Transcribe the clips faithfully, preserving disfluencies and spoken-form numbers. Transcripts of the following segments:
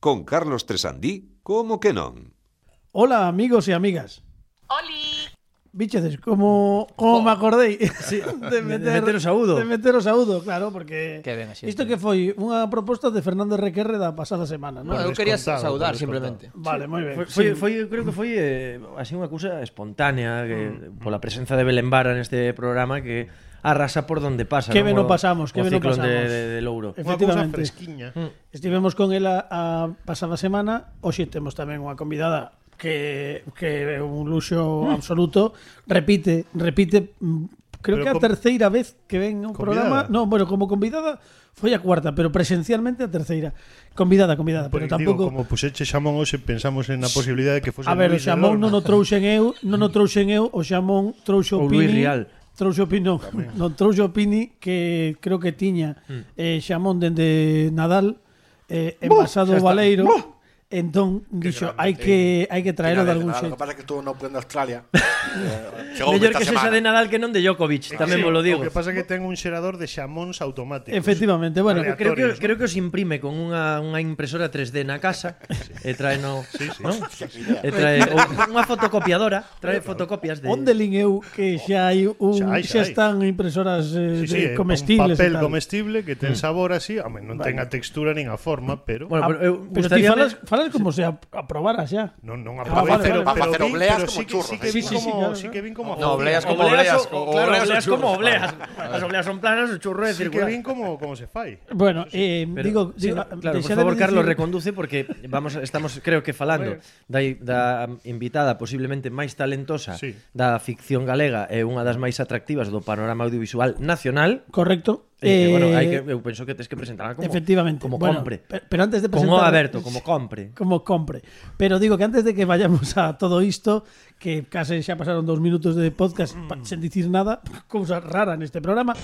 con Carlos Tresandí, como que non? Hola, amigos e amigas. ¡Oli! Bichedes, como, como Oh. me acordei Sí, de, meter, de meter o saúdo. De meter o saúdo, claro, porque Que ben, así, isto tío. que foi unha proposta de Fernando Requerre da pasada semana, non? No, eu quería descontado, saudar por simplemente. Vale, moi ben. Foi, foi, Sí. foi, eu creo que foi eh, así unha cousa espontánea que, pola presenza de Belén Vara neste programa que arrasa por donde pasa. Que ben non? o pasamos, que o ben o ciclón pasamos. de, de, de Louro. Unha cousa Efectivamente. fresquiña. Estivemos con ela a pasada semana, hoxe temos tamén unha convidada que, que é un luxo absoluto. Repite, repite, mm, creo Pero que é a com- terceira vez que ven o programa. Convidada? No, bueno, como convidada foi a cuarta, pero presencialmente a terceira. Convidada, convidada, pero Porque, tampouco... digo, como puxeche xamón hoxe, pensamos en a posibilidade de que fose A ver, o Luis de xamón Lorna. non o trouxen eu, non o trouxen eu, o xamón trouxo Ou Pini. Luis Rial. Trouxo Pini, non, non trouxo Pini, que creo que tiña eh, xamón dende Nadal, eh, envasado o Baleiro. Entón, dixo, hai que hai que traelo de algún Lo que xeito. pasa es que estuvo no Open de Australia. Eh, chegou Mellor esta que sexa semana. de Nadal que non de Djokovic, tamén Sí, vos lo digo. O que pasa é que ten un xerador de xamóns automáticos. Efectivamente, bueno, Vale, Creo que, aleatorios, creo que os imprime con unha, unha impresora tres D na casa e trae no, Sí, sí. ¿no? E trae ou unha fotocopiadora, trae fotocopias de onde lin eu que xa hai un Xa hai, xa xa hai. están impresoras eh, Sí, sí, de é comestibles un papel e tal. comestible que ten sabor así, home, non ten a textura nin a forma, pero Bueno, pero eu Pero ti gustaríame- falas, falas como se ap- aprobara xa. non non Ah, aprobei, vale, pero, vale. pero, Para facer vin, obleas pero como sí que churros, sí que eh. vin Sí, sí, sí, como claro, sí claro. que vin como No, obleas como Obleas obleas, o- o claro, obleas obleas o como churros. obleas. As obleas son planas, o churro é sí que circular. vin como como se fai. Bueno, eh, Pero, digo, sí, digo, no, claro, por deixade favor, de Carlos, dicir- reconduce porque vamos estamos creo que falando da, da invitada posiblemente máis talentosa Sí. da ficción galega e unha das máis atractivas do panorama audiovisual nacional. Correcto. E que, bueno, Eh, hai que eu penso que tes que presentarla como efectivamente. como Bueno, compre. pe- pero antes de Como presentar aberto, como compre. como compre. Pero digo que antes de que vayamos a todo isto, que case xa pasaron dos minutos de podcast pa, sen dicir nada, cousa rara neste programa,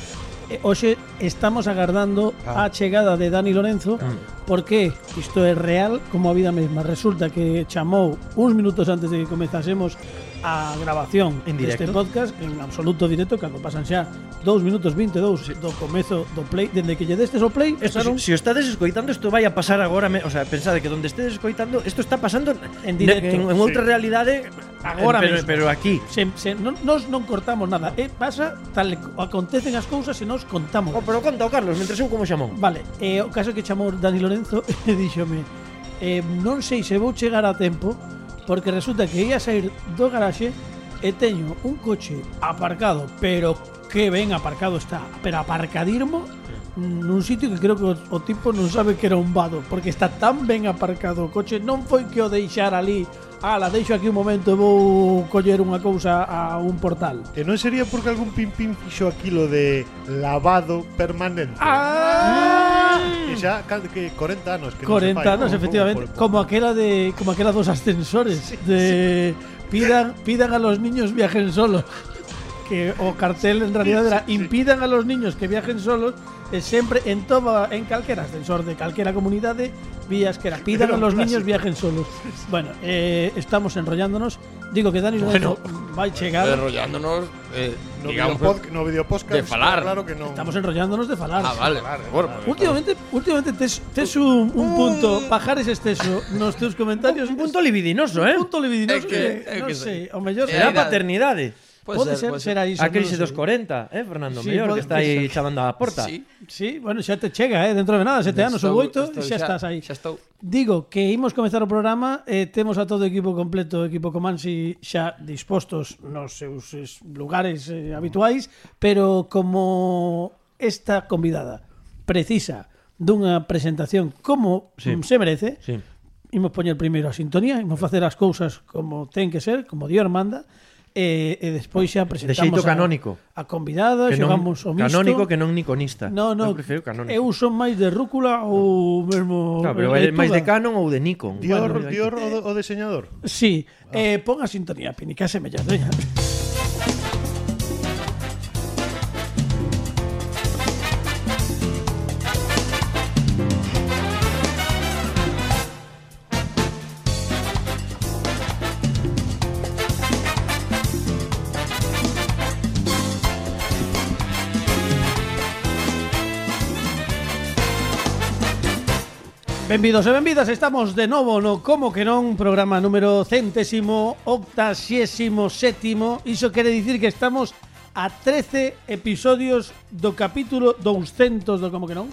eh, hoxe estamos agardando a chegada de Dani Lorenzo, porque isto é real como a vida mesma. Resulta que chamou uns minutos antes de que comezásemos a grabación En deste directo. podcast, en absoluto directo, cando pasan xa dous minutos vinte e dous do comezo do play, dende que lle destes o play, Esto, pasaron si, si o estades escoitando, isto vai a pasar agora, me, o sea, pensade que donde estedes escoitando, isto está pasando En directo. en, en outra realidade Agora pero, mesmo. pero aquí. Se, se, non, nos non cortamos nada. Eh, pasa tal e co- acontecen as cousas e nos contamos. Oh, pero conta o Carlos, mentre eu como xamón. Vale, eh, o caso que chamou Dani Lorenzo e díxome eh, non sei se vou chegar a tempo porque resulta que ia sair do garaxe e teño un coche aparcado, pero que ben aparcado está, pero aparcadirmo nun sitio que creo que o, o tipo non sabe que era un vado, porque está tan ben aparcado o coche, non foi que o deixar ali, ala, deixo aquí un momento e vou coller unha cousa a un portal. E non sería porque algún pin pin fixo aquilo de lavado permanente. Ah! Que xa cal- que corenta anos que non se corenta fai, anos, ¿no? efectivamente, Por- por- como aquela de como aquela dos ascensores de pidan pidan a los niños viajen solos. Que o cartel en realidad era impidan a los niños que viajen solos e sempre en toda en calquera ascensor de calquera comunidade vías que era pidan Era a un los niños clásico. viajen solos. Bueno, eh, estamos enrollándonos. Digo que Dani Lorenzo vai chegar. Enrollándonos, eh, No digamos, video, pod, no video podcast, de falar. claro que non. Estamos enrollándonos de falar. Ah, vale. Bueno, pues, Últimamente, últimamente tes, tes un, un punto pajares exceso nos teus comentarios. Un punto libidinoso, eh? Un punto libidinoso É que- que, é non que sei, sí. o mellor É Será a idade. paternidade. puede pode ser, puede será iso. A crise non dos sei. corenta, eh, Fernando? Sí, Mellor pode que está aí ser. chamando á porta. Sí. Sí, bueno, xa te chega, eh, dentro de nada, sete anos ou Estou- oito, estou xa estás aí. Xa estou. Digo que imos comezar o programa, eh, temos a todo o equipo completo, o equipo Comansi xa dispostos nos seus es, lugares eh, habituais, pero como esta convidada precisa dunha presentación como Sí. mm, se merece, Sí. imos poñer primeiro a sintonía, imos facer as cousas como ten que ser, como Dios manda, e, e despois xa presentamos xeito canónico. a, a convidada, Que non, xogamos o misto. canónico que non niconista. No, no, Eu prefiro canónico. eu son máis de rúcula ou mesmo Claro, pero é máis de canon ou de Nikon. Dior, Bueno, Dior o, o diseñador. Sí, eh, pon a sintonía, Pini, que se mellor, veña. Benvidos e benvidas, estamos de novo no Como que non, programa número centésimo, octaxésimo sétimo. Iso quere dicir que estamos a trece episodios do capítulo douscentos do Como que non,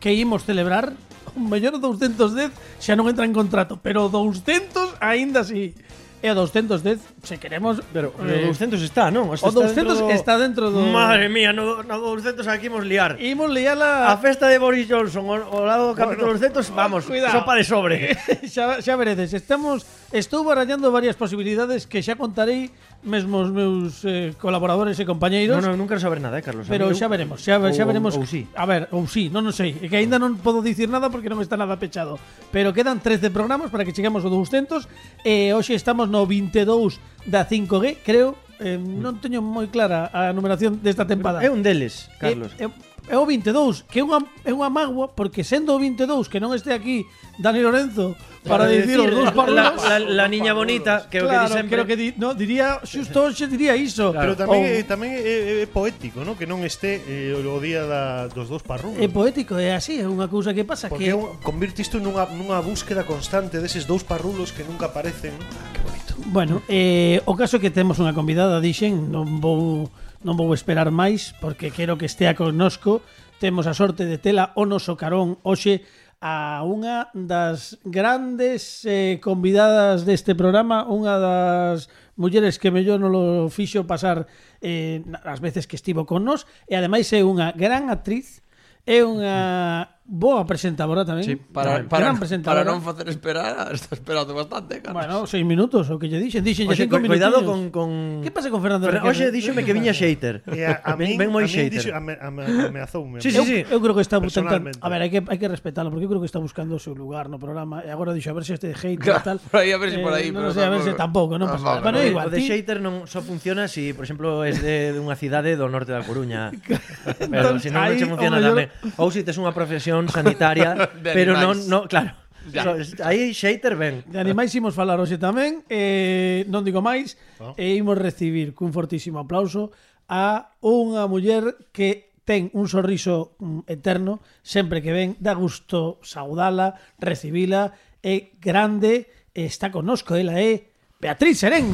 que imos celebrar. O mellor douscentos dez xa non entra en contrato, pero douscentos aínda así. E o douscentos dez, se queremos... Pero o eh, douscentos está, non? o douscentos dentro do... está dentro do... Madre mía, no, no douscentos aquí imos liar. Imos liala... A festa de Boris Johnson o, o lado do capítulo bueno, douscentos, vamos, cuidado. sopa de sobre. xa, xa veredes, estamos... Estou barallando varias posibilidades que xa contarei mesmo os meus eh, colaboradores e compañeiros. Non, non, non quero saber nada, eh, Carlos. Pero xa veremos, xa, xa ou, veremos. Ou sí. A ver, ou sí, non o sei. É que aínda non podo dicir nada porque non está nada pechado. Pero quedan trece programas para que cheguemos ao douscentos. E hoxe estamos no vinte e dous da cinco G, creo. Eh, non teño moi clara a numeración desta tempada. É un deles, Carlos. É, é, é o vinte e dous, que é unha, é unha mágoa, porque sendo o vinte e dous que non este aquí Dani Lorenzo para dicir os dous parrulos, la, la, la niña bonita, que claro, o que di sempre. creo que di, no, diría, xusto hoxe diría iso. Pero tamén, Ou- é, tamén é, é poético, ¿no? Que non este eh, o día da, dos dous parrulos. É poético, é así, é unha cousa que pasa Porque que é un- convirte isto nunha, nunha búsqueda constante deses dous parrulos que nunca aparecen. Ah, que bonito. Bueno, eh, o caso é que temos unha convidada, dixen, non vou non vou esperar máis porque quero que estea connosco. Temos a sorte de tela o noso carón hoxe a unha das grandes eh, convidadas deste programa, unha das mulleres que mellor non lo fixo pasar eh, as veces que estivo con nos, e ademais é unha gran actriz, é unha boa presentadora tamén. Sí, para, gran para, presentadora. para non facer esperar, está esperando bastante, Carlos. Bueno, seis minutos, o que lle dixen, dixen Oxe, cinco cu- cuidado minutiños. con, con... Que pasa con Fernando Fer- Requena? Oxe, díxome que viña xeiter. E a, a Ben- min, ben moi a min xeiter. dixo, ame, ame, ameazoume. Sí, sí, eu, sí. eu creo que está buscando. Personalmente. A ver, hai que, hai que respetalo, porque eu creo que está buscando o seu lugar no programa. E agora dixo a ver se este de hate Claro, e tal. por aí, a ver se por aí, non pero sei, a ver se tampouco, tampouco. non pasa nada. Tampouco. Bueno, é O de- igual, o de ti, xeiter non só funciona si, por exemplo, es de, de unha cidade do norte da Coruña. Pero Entón, se non, non aí, che o funciona mellor- tamén. Ou si tes unha profesión sanitaria, De pero non, animais. no, claro. Ya. So, aí xeiter ben. de animais imos falar hoxe tamén. Eh, non digo máis. Oh. E imos recibir cun fortísimo aplauso a unha muller que ten un sorriso mm, eterno, sempre que ven, dá gusto saudala, recibila, é grande, e está connosco, ela é Beatriz Serén.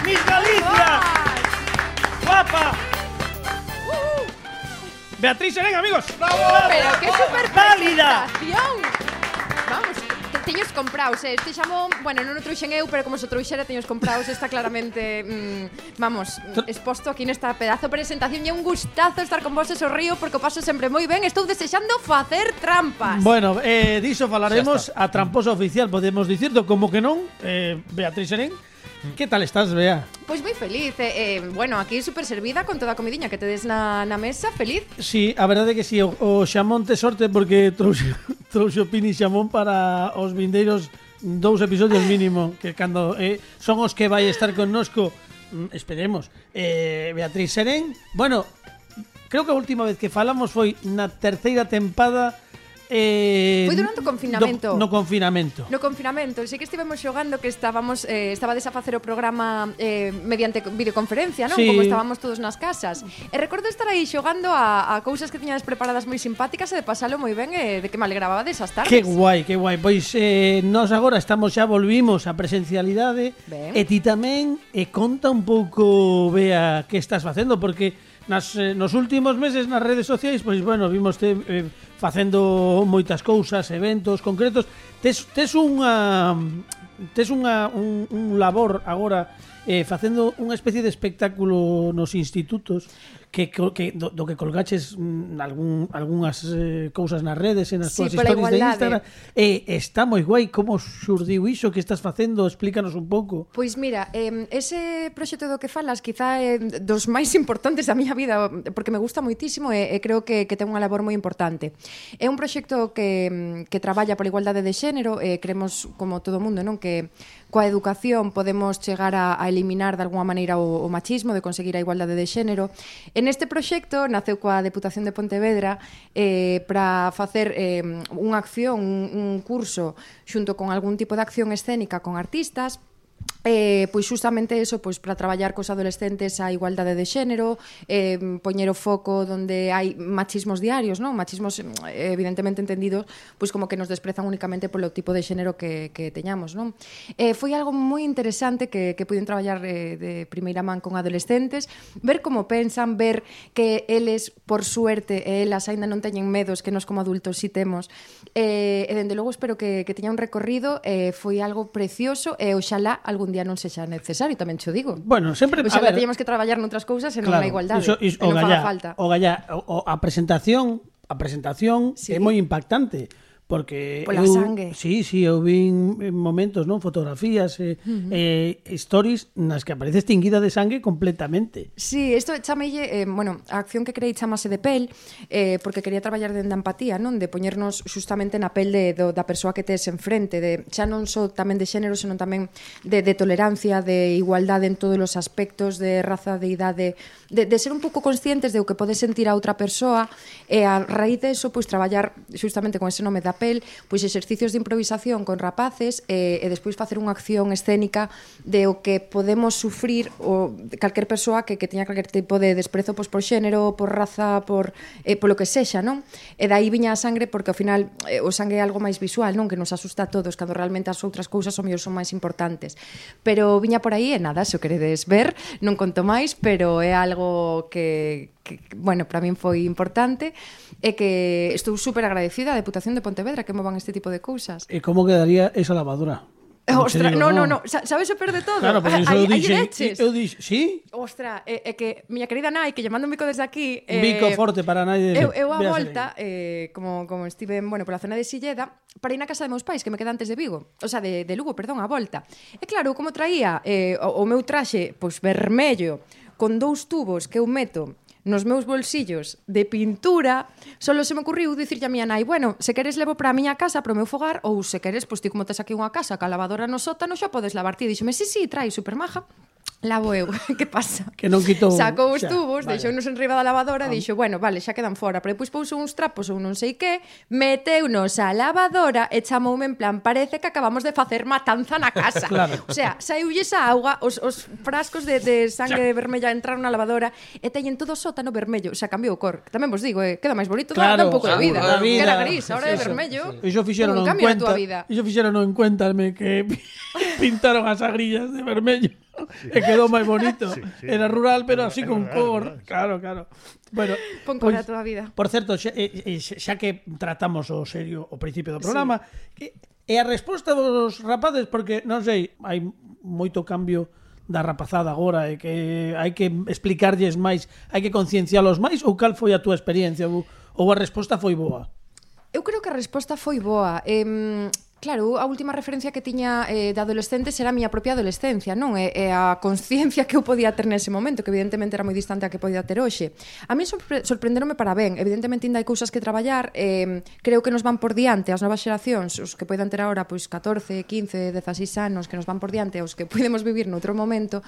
¡Miss Galicia! ¡Guapa! Beatriz Serén, amigos. Pero que super ¡Válida! presentación. Vamos, te teños compraos, eh. Este xamón, bueno, non o trouxen eu, pero como se o trouxera teños compraos, está claramente, mm, vamos, exposto aquí nesta pedazo de presentación. E é un gustazo estar con vos e sorrío porque o paso sempre moi ben. Estou desexando facer trampas. Bueno, eh, diso falaremos a tramposa oficial, podemos dicirlo, como que non, eh, Beatriz Serén. Que tal estás, Bea? Pois moi feliz, eh, eh, bueno, aquí super servida con toda a comidiña que tedes na, na mesa, feliz. Sí, a verdade é que si, sí, o, o xamón te sorte porque trouxe, trouxe o Pini xamón para os vindeiros dous episodios mínimo, que cando eh, son os que vai estar connosco, mm, esperemos, eh, Beatriz Serén. Bueno, creo que a última vez que falamos foi na terceira tempada. Eh, Foi durante o confinamento. do- No confinamento. No confinamento, sei que estivemos xogando que estábamos eh, estabades a facer o programa eh, mediante videoconferencia, non? Sí. Como estábamos todos nas casas. E recordo estar aí xogando a, a cousas que tiñades preparadas moi simpáticas e de pasalo moi ben e de que me alegraba desas tardes. Que guai, que guai. Pois eh, nós agora estamos xa volvimos á presencialidade. Ben. E ti tamén e conta un pouco, Bea, que estás facendo, porque nas, eh, nos últimos meses nas redes sociais, pois bueno, vimos te eh, facendo moitas cousas, eventos concretos. Tes, tes unha tes unha un, un labor agora eh, facendo unha especie de espectáculo nos institutos que, que do, do que colgaches mm, algún, algunhas eh, cousas nas redes e nas Sí, túas pola historias de igualdade. Instagram. E está moi guai. Como xurdiu iso que estás facendo? Explícanos un pouco. Pois mira, eh, ese proxecto do que falas quizá é dos máis importantes da miña vida porque me gusta moitísimo e, e creo que, que ten unha labor moi importante. É un proxecto que, que traballa pola igualdade de xénero e creemos, como todo o mundo, non, que coa educación podemos chegar a, a eliminar de alguma maneira o, o machismo, de conseguir a igualdade de xénero. En este proxecto naceu coa Deputación de Pontevedra eh, para facer eh, unha acción, un, un curso xunto con algún tipo de acción escénica con artistas Eh, pois justamente eso, pois para traballar cos adolescentes a igualdade de xénero, eh, poñer o foco donde hai machismos diarios, non? Machismos eh, evidentemente entendidos pois como que nos desprezan únicamente polo tipo de xénero que, que teñamos, non? Eh, foi algo moi interesante que, que puiden traballar eh, de primeira man con adolescentes, ver como pensan, ver que eles, por suerte, e elas aínda non teñen medos que nos como adultos si temos, eh, e dende logo espero que, que teña un recorrido, eh, foi algo precioso e oxalá algún día non sexa necesario, tamén xo digo. Bueno, sempre, Oxalá teñamos que traballar noutras cousas e non na igualdade. Iso, iso, e non o faga gallá, falta. O gallá, o, a presentación, a presentación Sí. é moi impactante. Porque Pola eu, sangue. Sí, sí, eu vin momentos, non, fotografías e uh -huh. eh, stories nas que aparece extinguida de sangue completamente. Sí, isto chamelle, eh, bueno, a acción que creei chamase de pel, eh, porque quería traballar dende a empatía, non? De poñernos justamente na pel de, do, da persoa que tes enfrente, de xa non só tamén de xénero, senón tamén de, de tolerancia, de igualdade en todos os aspectos, de raza, de idade, de, de ser un pouco conscientes de o que pode sentir a outra persoa, e a raíz de eso, pois traballar justamente con ese nome da pel, pois exercicios de improvisación con rapaces e, e despois facer unha acción escénica de o que podemos sufrir o calquer persoa que, que teña calquer tipo de desprezo pois, por xénero, por raza, por eh, polo que sexa, non? E daí viña a sangre porque ao final eh, o sangue é algo máis visual, non? Que nos asusta a todos, cando realmente as outras cousas o mellor son máis importantes. Pero viña por aí e nada, se o queredes ver, non conto máis, pero é algo que que, bueno, para min foi importante e que estou super agradecida á Deputación de Pontevedra que movan este tipo de cousas. E como quedaría esa lavadora? Ostra, digo, no, no, no, no, sabes o peor de todo? Claro, porque iso eu dixe, eu dixe, sí? Ostra, é, é que miña querida nai, que lle mando un bico desde aquí, Un bico eh, forte para nai de... Eu, eu a volta, eh, como, como estive, bueno, pola zona de Silleda, para ir na casa de meus pais, que me queda antes de Vigo, o sea, de, de Lugo, perdón, a volta. E claro, como traía eh, o, o meu traxe, pois, vermello, con dous tubos que eu meto nos meus bolsillos de pintura, solo se me ocurriu dicirlle a miña nai, bueno, se queres levo para a miña casa, para o meu fogar, ou se queres, pois ti como tes aquí unha casa ca lavadora no sótano, xa podes lavar ti. Díxome, sí, sí, trai, super maja. Lavo eu, que pasa? Que non quitou... Sacou os tubos, vale. Deixounos en riba da lavadora, ah. Dixo, bueno, vale, xa quedan fora. Pero depois pouso uns trapos ou non sei que, meteunos a lavadora e chamoume en plan, parece que acabamos de facer matanza na casa. Claro. O sea, saiulles a auga, os, os frascos de, de sangue xa. vermella entraron na lavadora e teñen todo o sótano vermello. O sea, cambiou o cor. Tamén vos digo, eh, queda máis bonito, claro, dá un pouco de vida. vida. Que era gris, ahora é vermello. Iso fixeron en cuenta. Iso fixeron en cuéntame que pintaron as agrillas de vermello. Sí. E quedou máis bonito. Sí, sí. Era rural, pero así con cor. Claro, claro. Bueno, pon cor a toda a vida. Por certo, xa, xa que tratamos o serio o principio do programa, sí. E a resposta dos rapaces, porque non sei, hai moito cambio da rapazada agora e que hai que explicarlles máis, hai que conciencialos máis, ou cal foi a túa experiencia, ou, ou a resposta foi boa? Eu creo que a resposta foi boa. Eh, Claro, a última referencia que tiña eh, de adolescentes era a miña propia adolescencia, non? E, e a consciencia que eu podía ter nese momento, que evidentemente era moi distante a que podía ter hoxe. A mí sorpre sorprenderonme para ben. Evidentemente ainda hai cousas que traballar. Eh, creo que nos van por diante as novas xeracións, os que poidan ter agora pois catorce, quince, dezaseis anos, que nos van por diante aos que podemos vivir noutro momento,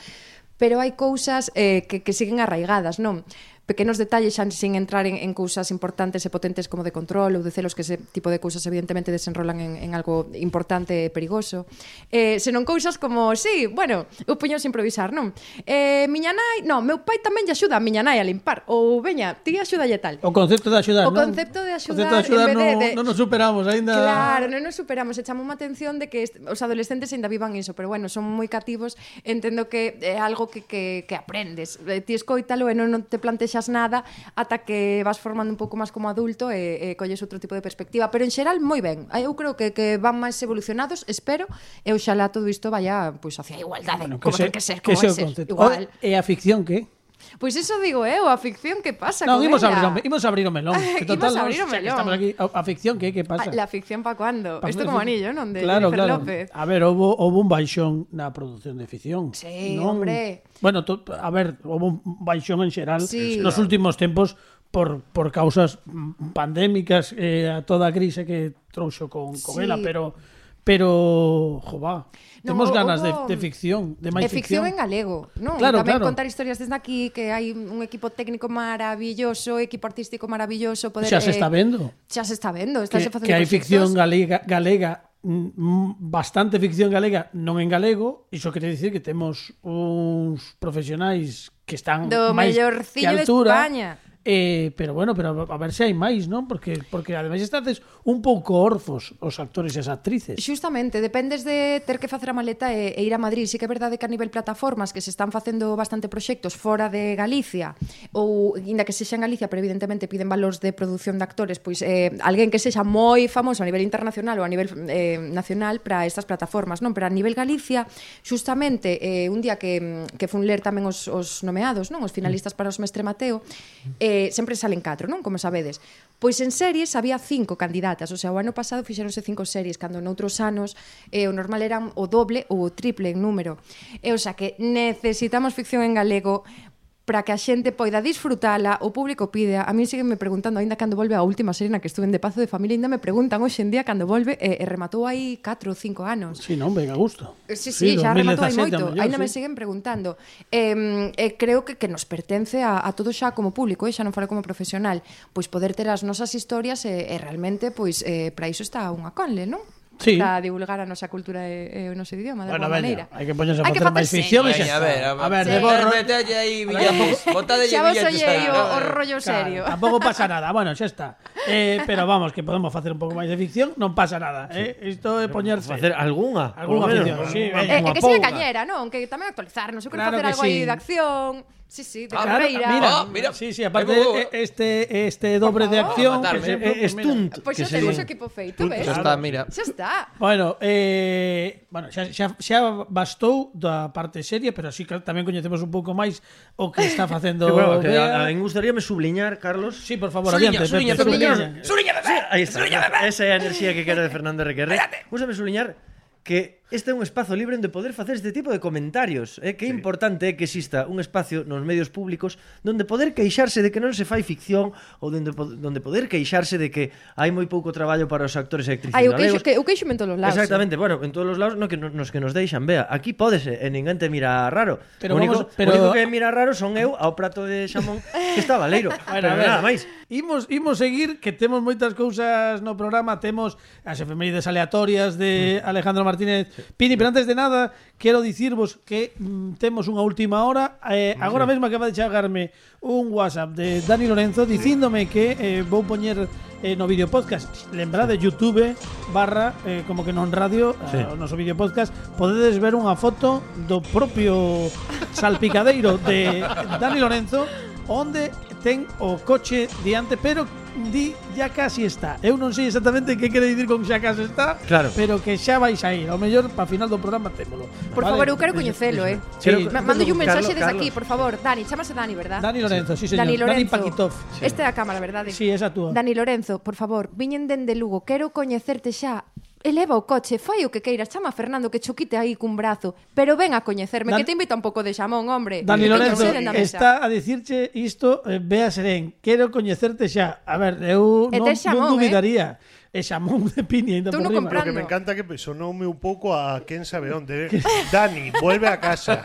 pero hai cousas eh, que, que siguen arraigadas, non? Pequenos detalles xa sin entrar en, en cousas importantes e potentes como de control ou de celos, que ese tipo de cousas evidentemente desenrolan en, en algo importante e perigoso. Eh, senón cousas como, sí, bueno, eu puños a improvisar, non? Eh, miña nai, non, meu pai tamén lle axuda a miña nai a limpar, ou veña, ti axúdalle tal. O concepto de axudar, o non? concepto de axudar, o concepto de axudar en vez de, de... non nos superamos aínda. Claro, non nos superamos, e chamou a atención de que est... os adolescentes aínda vivan iso, pero bueno, son moi cativos, entendo que é algo que, que, que aprendes. Ti escoítalo e non, non te plantexas nada ata que vas formando un pouco máis como adulto e, e colles outro tipo de perspectiva, pero en xeral moi ben. Eu creo que, que van máis evolucionados, espero, e oxalá todo isto vaya pois hacia a igualdade, bueno, como ten que ser, como que ser, igual. E a ficción que? Pois iso digo eu, a ficción que pasa no, con imos ela. Abrir, imos abrir o melón. Que total, imos abrir o melón. Estamos aquí, a ficción que, que pasa? La ficción pa cuando? Pa, Isto como anillo, non? De claro, Jennifer claro. López. A ver, houve, houve un baixón na produción de ficción. Sí, non? hombre. Bueno, to, a ver, houve un baixón en xeral sí. nos últimos tempos por, por causas pandémicas, eh, a toda a crise que trouxo con, con sí. ela, pero pero, jová, no, temos ganas hubo... de, de ficción, de máis ficción. De ficción ficción en galego, non? Claro, Tamén claro. contar historias desde aquí, que hai un equipo técnico maravilloso, equipo artístico maravilloso, poder xa se eh, está vendo. Xa se está vendo, que, facendo que hai ficción galega, galega mm, bastante ficción galega, non en galego, iso quere dicir que temos uns profesionais que están Do máis que mellorcillo de altura. España. Eh, pero bueno, pero a ver se hai máis, non? Porque porque ademais estades un pouco orfos os actores e as actrices. Xustamente, dependes de ter que facer a maleta e, e ir a Madrid. Sí que é verdade que a nivel plataformas que se están facendo bastante proxectos fora de Galicia ou inda que sexa en Galicia, pero evidentemente piden valores de produción de actores, pois eh, alguén que sexa moi famoso a nivel internacional ou a nivel eh, nacional para estas plataformas, non? Pero a nivel Galicia, xustamente eh, un día que, que fun ler tamén os, os nomeados, non? Os finalistas para os Mestre Mateo, eh, sempre salen catro, non? Como sabedes. Pois en series había cinco candidatas, o sea, o ano pasado fixeronse cinco series, cando noutros anos eh, o normal eran o doble ou o triple en número. E o sea que necesitamos ficción en galego para que a xente poida disfrutala, o público pide. A mí siguen me preguntando, ainda cando volve a última serie na que estuve en De Pazo de Familia, ainda me preguntan hoxe en día cando volve, e, e rematou aí catro ou cinco anos. Sí, non, venga, gusto. Sí, sí, sí, xa rematou hai moito. Mellor, Ainda sí. me siguen preguntando. Eh, eh, creo que, que nos pertence a, a todo xa como público, eh, xa non fora como profesional, pois poder ter as nosas historias e, e realmente, pois, eh, para iso está unha conle, non? Sí. Para divulgar a nosa cultura e, e o noso idioma, de Bueno, alguma veña, maneira. hai que poñerse a Hai que facer máis facer ficción e series. xa A ver, está. a A ver, Sí. de borro. Metelle aí billetes. Botade Xa vos billetes ollei aí. o, o rollo serio. Claro, tampouco pasa nada. Bueno, xa está. Eh, pero vamos, que podemos facer un pouco máis de ficción, non pasa nada, eh? Isto é poñerse Facer algunha. Algunha polo menos. ficción, sí, Unha- veña. Eh, unha e que siga pouga. cañera, non? Que tamén actualizarnos. Eu quero Claro facer que algo sí. aí de acción. Sí, sí, de Ah, Claro, carreira. mira, Ah, mira. sí, sí, aparte Aí vou, eh, este este dobre de favor. acción, Matarme. por exemplo, Eh, eh, pues mira. stunt. Pois que xa temos o sería. equipo feito, ves? Xa está, mira. Xa está. Bueno, eh, bueno, xa, xa, xa bastou da parte seria, pero así que tamén coñecemos un pouco máis o que está facendo Que bueno, que Bea. a, a mí gustaríame subliñar, Carlos. Sí, por favor, Suliña, adiante. suliña, Pepe, suliña. suliña. Suliña, bebé. Ahí está. Esa é a enerxía que quero de Fernando R Q R. Gústame subliñar que este é un espazo libre onde poder facer este tipo de comentarios. É que é importante que exista un espacio nos medios públicos donde poder queixarse de que non se fai ficción ou donde, donde poder queixarse de que hai moi pouco traballo para os actores e actrices Ai, o queixo, galegos. que, o queixo en todos os lados. Exactamente, bueno, en todos os lados no, que nos, nos que nos deixan, vea, aquí pódese e ninguén te mira raro. Pero o único, vamos- pero- o único que mira raro son eu ao prato de xamón que está baleiro. Bueno, Pero a ver, nada máis. Imos, imos seguir, que temos moitas cousas no programa. Temos as efemérides aleatorias de Alejandro Martínez Pini, pero antes de nada quero dicirvos que mm, temos unha última hora. eh, Agora mesmo acaba de chegarme un WhatsApp de Dani Lorenzo dicíndome que eh, vou poñer eh, no vídeo podcast. Lembrade YouTube barra eh, como que non radio, Sí. eh, o noso vídeo podcast, podedes ver unha foto do propio salpicadeiro de Dani Lorenzo onde ten o coche diante, pero di ya casi está. Eu non sei exactamente que quere dicir con xa casi está, Claro. pero que xa vais a ir. Ao mellor para final do programa témolo. Por Vale? favor, eu quero coñecelo, eh. Sí. Ma- Mando un mensaxe Carlos, desde Carlos. aquí, por favor. Dani, chamase Dani, verdad? Dani Lorenzo, sí, señor. Dani Lorenzo. Paquitov. Esta é a cámara, verdade? Sí, esa túa. Dani Lorenzo, por favor, viñen dende Lugo, quero coñecerte xa. Eleva o coche, fai o que queiras, chama a Fernando que choquite aí cun brazo, pero ven a coñecerme, Dan- que te invita un pouco de xamón, hombre. Dani Que Lorenzo teño sede na mesa. está a dicirche isto, eh, Bea Serén, quero coñecerte xa. A ver, eu E non, tes xamón, non dubidaría. E xamón de piña ainda Tú por non riba. compras. Lo que me encanta que sonoume un pouco a quién sabe onde. Dani, vuelve a casa.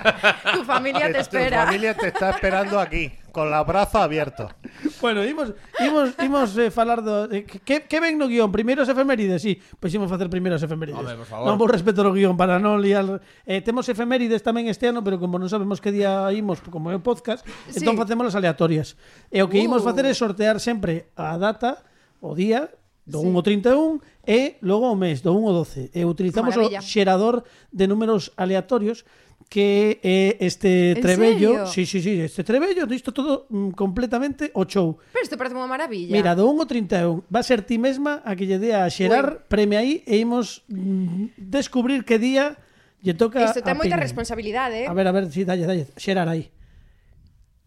Tu familia te Que espera. Tu familia te está esperando aquí, con los brazos abiertos. Bueno, imos, imos, imos eh, falar do... Eh, que, que ven no guión? Primeiro as efemérides, sí. Pois imos facer primeiro as efemérides. Home, por favor. Non vos respeto o guión para non liar... Eh, temos efemérides tamén este ano, pero como non sabemos que día imos, como é o podcast, Sí. entón facemos as aleatorias. E o que imos Uh. facer é sortear sempre a data, o día, do un ao trinta e un e logo o mes, do un ao doce. E utilizamos o Maravilla. xerador de números aleatorios que é este En trebello. serio? Sí, sí, sí, este trebello, isto todo mm, completamente o show. Pero isto parece unha maravilla. Mira, do un ao trinta e un va a ser ti mesma a que lle dé a xerar, premia aí e imos mm, descubrir que día lle toca Isto ten a moita Pini. responsabilidade, eh? A ver, a ver, si, sí, dalle, dalle, xerar aí.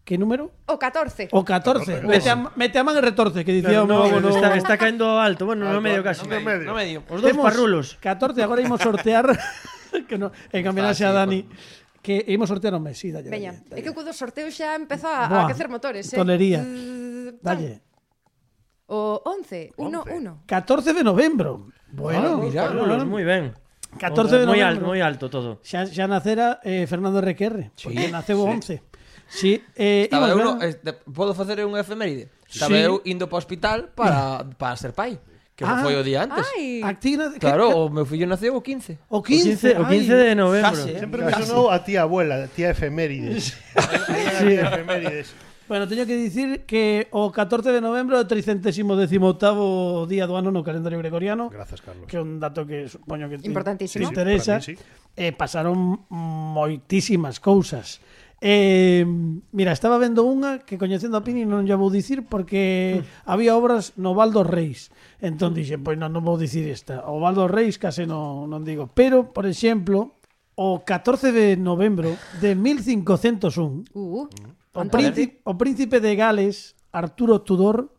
Que número? O catorce. O catorce. Mete a, mete a man e retorce, que dicía o Claro, meu no, avó no... está, está caendo alto, bueno, no medio casi. no medio. No medio. Os dous Temos parrulos. catorce, agora imos sortear que no, en homenaxe a Dani que imos sortear o mes, sí, dalle. Veña, dalle, é que co do sorteo xa empeza a, Buah, a aquecer motores, eh? tolería. Zzz, dalle. O once, uno, uno. catorce de novembro. Bueno, Ah, mira. Parrulos, moi ben. catorce de Moi novembro. alto, moi alto todo. Xa, xa nacera eh, Fernando R Q R, Sí, porque naceu o once. Sí, eh, Estaba imos eu, ver- no, este, podo facer unha efeméride? Estaba Sí. eu indo para o hospital para, para ser pai. Que ah, foi o día antes. Ai. Actina, Claro, que, o meu fillo naceu o quince. o quince, O quince de novembro. Case, Sempre me sonou a tía abuela, tía efemérides. Sí, efemérides. Bueno, teño que dicir que o catorce de novembro é o tricentésimo decimoctavo día do ano no calendario gregoriano. Grazas, Carlos. Que é un dato que supoño que te, Importantísimo. te interesa. Sí, sí, para mí, sí. Eh, pasaron moitísimas cousas. Eh, mira, estaba vendo unha que coñecendo a Pini non lla vou dicir porque mm. había obras no Val dos Reis. Entón dixen, pois non, non vou dicir esta. O Val dos Reis case non, non digo. Pero, por exemplo, o catorce de novembro de mil cincocentos un, Uh, o, príncipe, o príncipe de Gales, Arturo Tudor,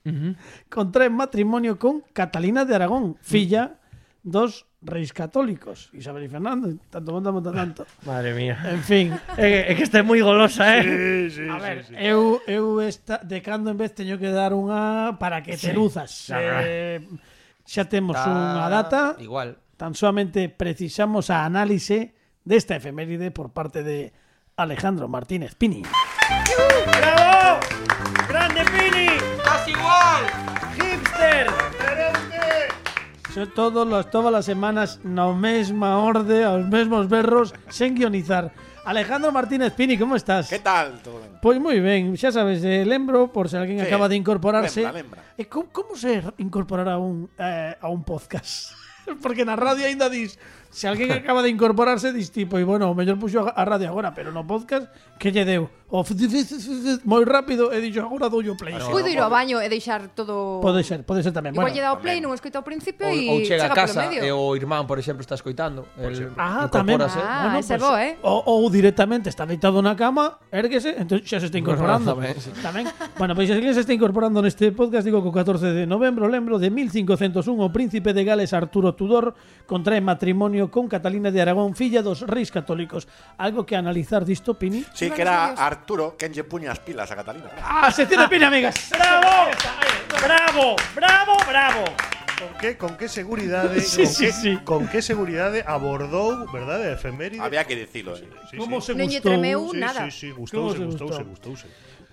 Uh-huh. contrae matrimonio con Catalina de Aragón, filla dos reis católicos, Isabel e Fernando, tanto monta, monta tanto. Madre mía. En fin, É, é que está moi golosa, eh? Sí, sí, a ver, sí, sí. eu, eu esta, de cando en vez teño que dar unha para que te luzas. Eh, xa temos Está unha data, Igual. tan solamente precisamos a análise desta efeméride por parte de Alejandro Martínez Pini. ¡Bravo! ¡Grande Pini! ¡Estás igual! ¡Hipster! So, todos los, todas as semanas na mesma orde, aos mesmos berros, sen guionizar. Alejandro Martínez Pini, como estás? ¿Qué tal? Todo ben? Pois moi ben, xa sabes, eh, lembro, por se alguén Sí, acaba de incorporarse. lembra, lembra. E como, como se incorporar a un, eh, a un podcast? Porque na radio aínda dis, se alguén acaba de incorporarse, dis tipo, e bueno, o mellor puxo a radio agora, pero no podcast, que lle deu? O moi rápido, e dixo, agora dou o play. Ah, Puido ir ao baño e deixar todo... Pode ser, pode ser tamén. Igual Bueno, lle dá o play, non escoita ao principio Ou, e ou chega a chega casa polo medio. e o irmán, por exemplo, está escoitando. El Ah, tamén. incorpórase. Ah, ese é bo, eh? Ou, ou directamente está deitado na cama, érguese, entón xa se está incorporando. Tamén, sí. Tamén. Bueno, pois se alguén se está incorporando neste podcast, digo que o catorce de novembro, lembro, de mil cincocentos un, o príncipe de Gales Arturo Tudor contrae matrimonio con Catalina de Aragón, filla dos reis católicos. Algo que analizar disto, Pini? Sí, que era Arturo quen lle puña as pilas a Catalina. ¡Ah, sección de Pini, amigas! ¡Bravo! ¡Bravo! ¡Bravo! ¡Bravo! Con que con que seguridade, Sí, con, sí, que, sí. con que seguridade abordou, verdade, a efeméride. Había que dicilo, eh. Sí, Como sí. se Non lle gustou? tremeu Sí, nada. sí, sí, Como gustouse, se gustouse, gustou? gustouse.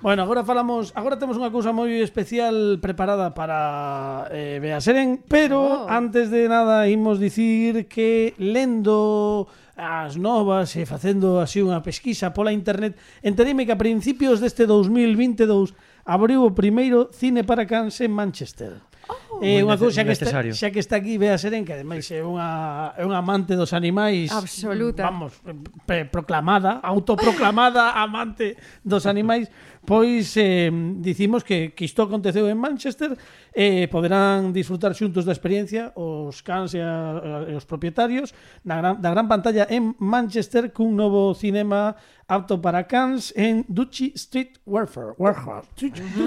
Bueno, agora falamos, agora temos unha cousa moi especial preparada para eh, Bea Seren, pero Oh. antes de nada imos dicir que lendo as novas e facendo así unha pesquisa pola internet, entereime que a principios deste dos mil vinte e dous abriu o primeiro cine para cans en Manchester. Oh. É Moi unha cousa nece- que está, necesario. xa que está aquí Bea Seren, que ademais é unha é unha amante dos animais Absoluta. vamos, pre- proclamada, autoproclamada amante dos animais, pois eh, dicimos que, que isto aconteceu en Manchester, eh, poderán disfrutar xuntos da experiencia os cans e, a, e os propietarios na gran, da gran pantalla en Manchester cun novo cinema apto para cans en Duchy Street Warfare. Warfare.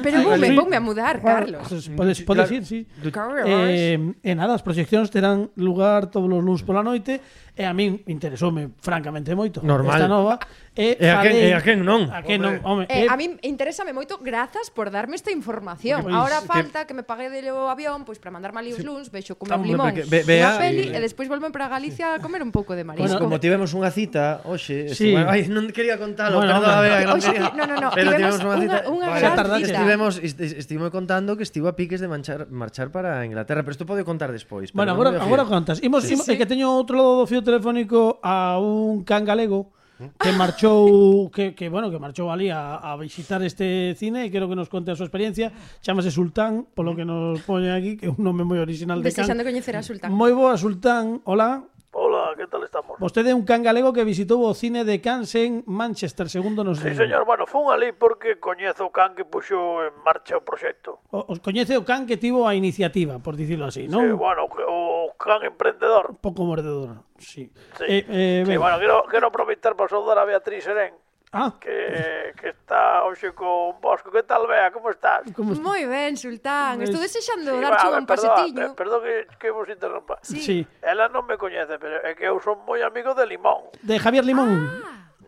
Pero voume, voume a mudar, Carlos. Podes, podes ir, sí. Carlos. Eh, e nada, as proxeccións terán lugar todos os luns pola noite e a min interesoume francamente moito Normal. esta nova e, E a quen- falei- e a quen non? a quen non, home, Eh, e- a mí interésame moito, grazas por darme esta información. Pois, Ahora que- falta que me pague de o avión, pois para mandarme ali os luns, vexo comer Hombre, limón, porque ve- vea- unha peli sí. e despois volven para Galicia a comer un pouco de Pois marisco. como tivemos unha cita hoxe, Sí. este, bueno, ai, non quería contalo, Bueno, perdón, hombre. Bea, que non Oxe, quería. no, no, no, Pero tivemos tivemos unha cita. unha- unha Vale. gran cita. Estivemos est- estive contando que estivo a piques de manchar, marchar para Inglaterra, pero isto pode contar despois. pero Bueno, non agora, me agora fío. contas. Imos, Sí, imos, sí. é que teño outro lado do fío telefónico a un can galego que marchou que, que bueno, que marchou ali a, a visitar este cine e quero que nos conte a súa experiencia. Chámase Sultán, polo que nos pone aquí, que é un nome moi original de can. Desexando coñecer a Sultán. Moi boa, Sultán. Hola. Hola, ¿qué tal estamos? Vostede é un can galego que visitou o cine de Cans en Manchester, segundo nos Sí, digo. señor, bueno, fun ali porque coñezo o can que puxo en marcha o proxecto. O, os coñece o can que tivo a iniciativa, por dicirlo así, non? Sí, bueno, que o can emprendedor. Un pouco mordedor, sí. Sí, Eh, eh, sí ben. bueno, quero, quero aproveitar para saudar a Beatriz Serén, Ah, que, que está hoxe con Bosco. Que tal, Bea? Como estás? como est- Moi ben, Sultán. Estou desexando Sí, darche va, un perdón, pasetiño. per- Perdón que, que vos interrompa. Sí. Sí. Ela non me coñece, pero é que eu son moi amigo de Limón. De Javier Limón.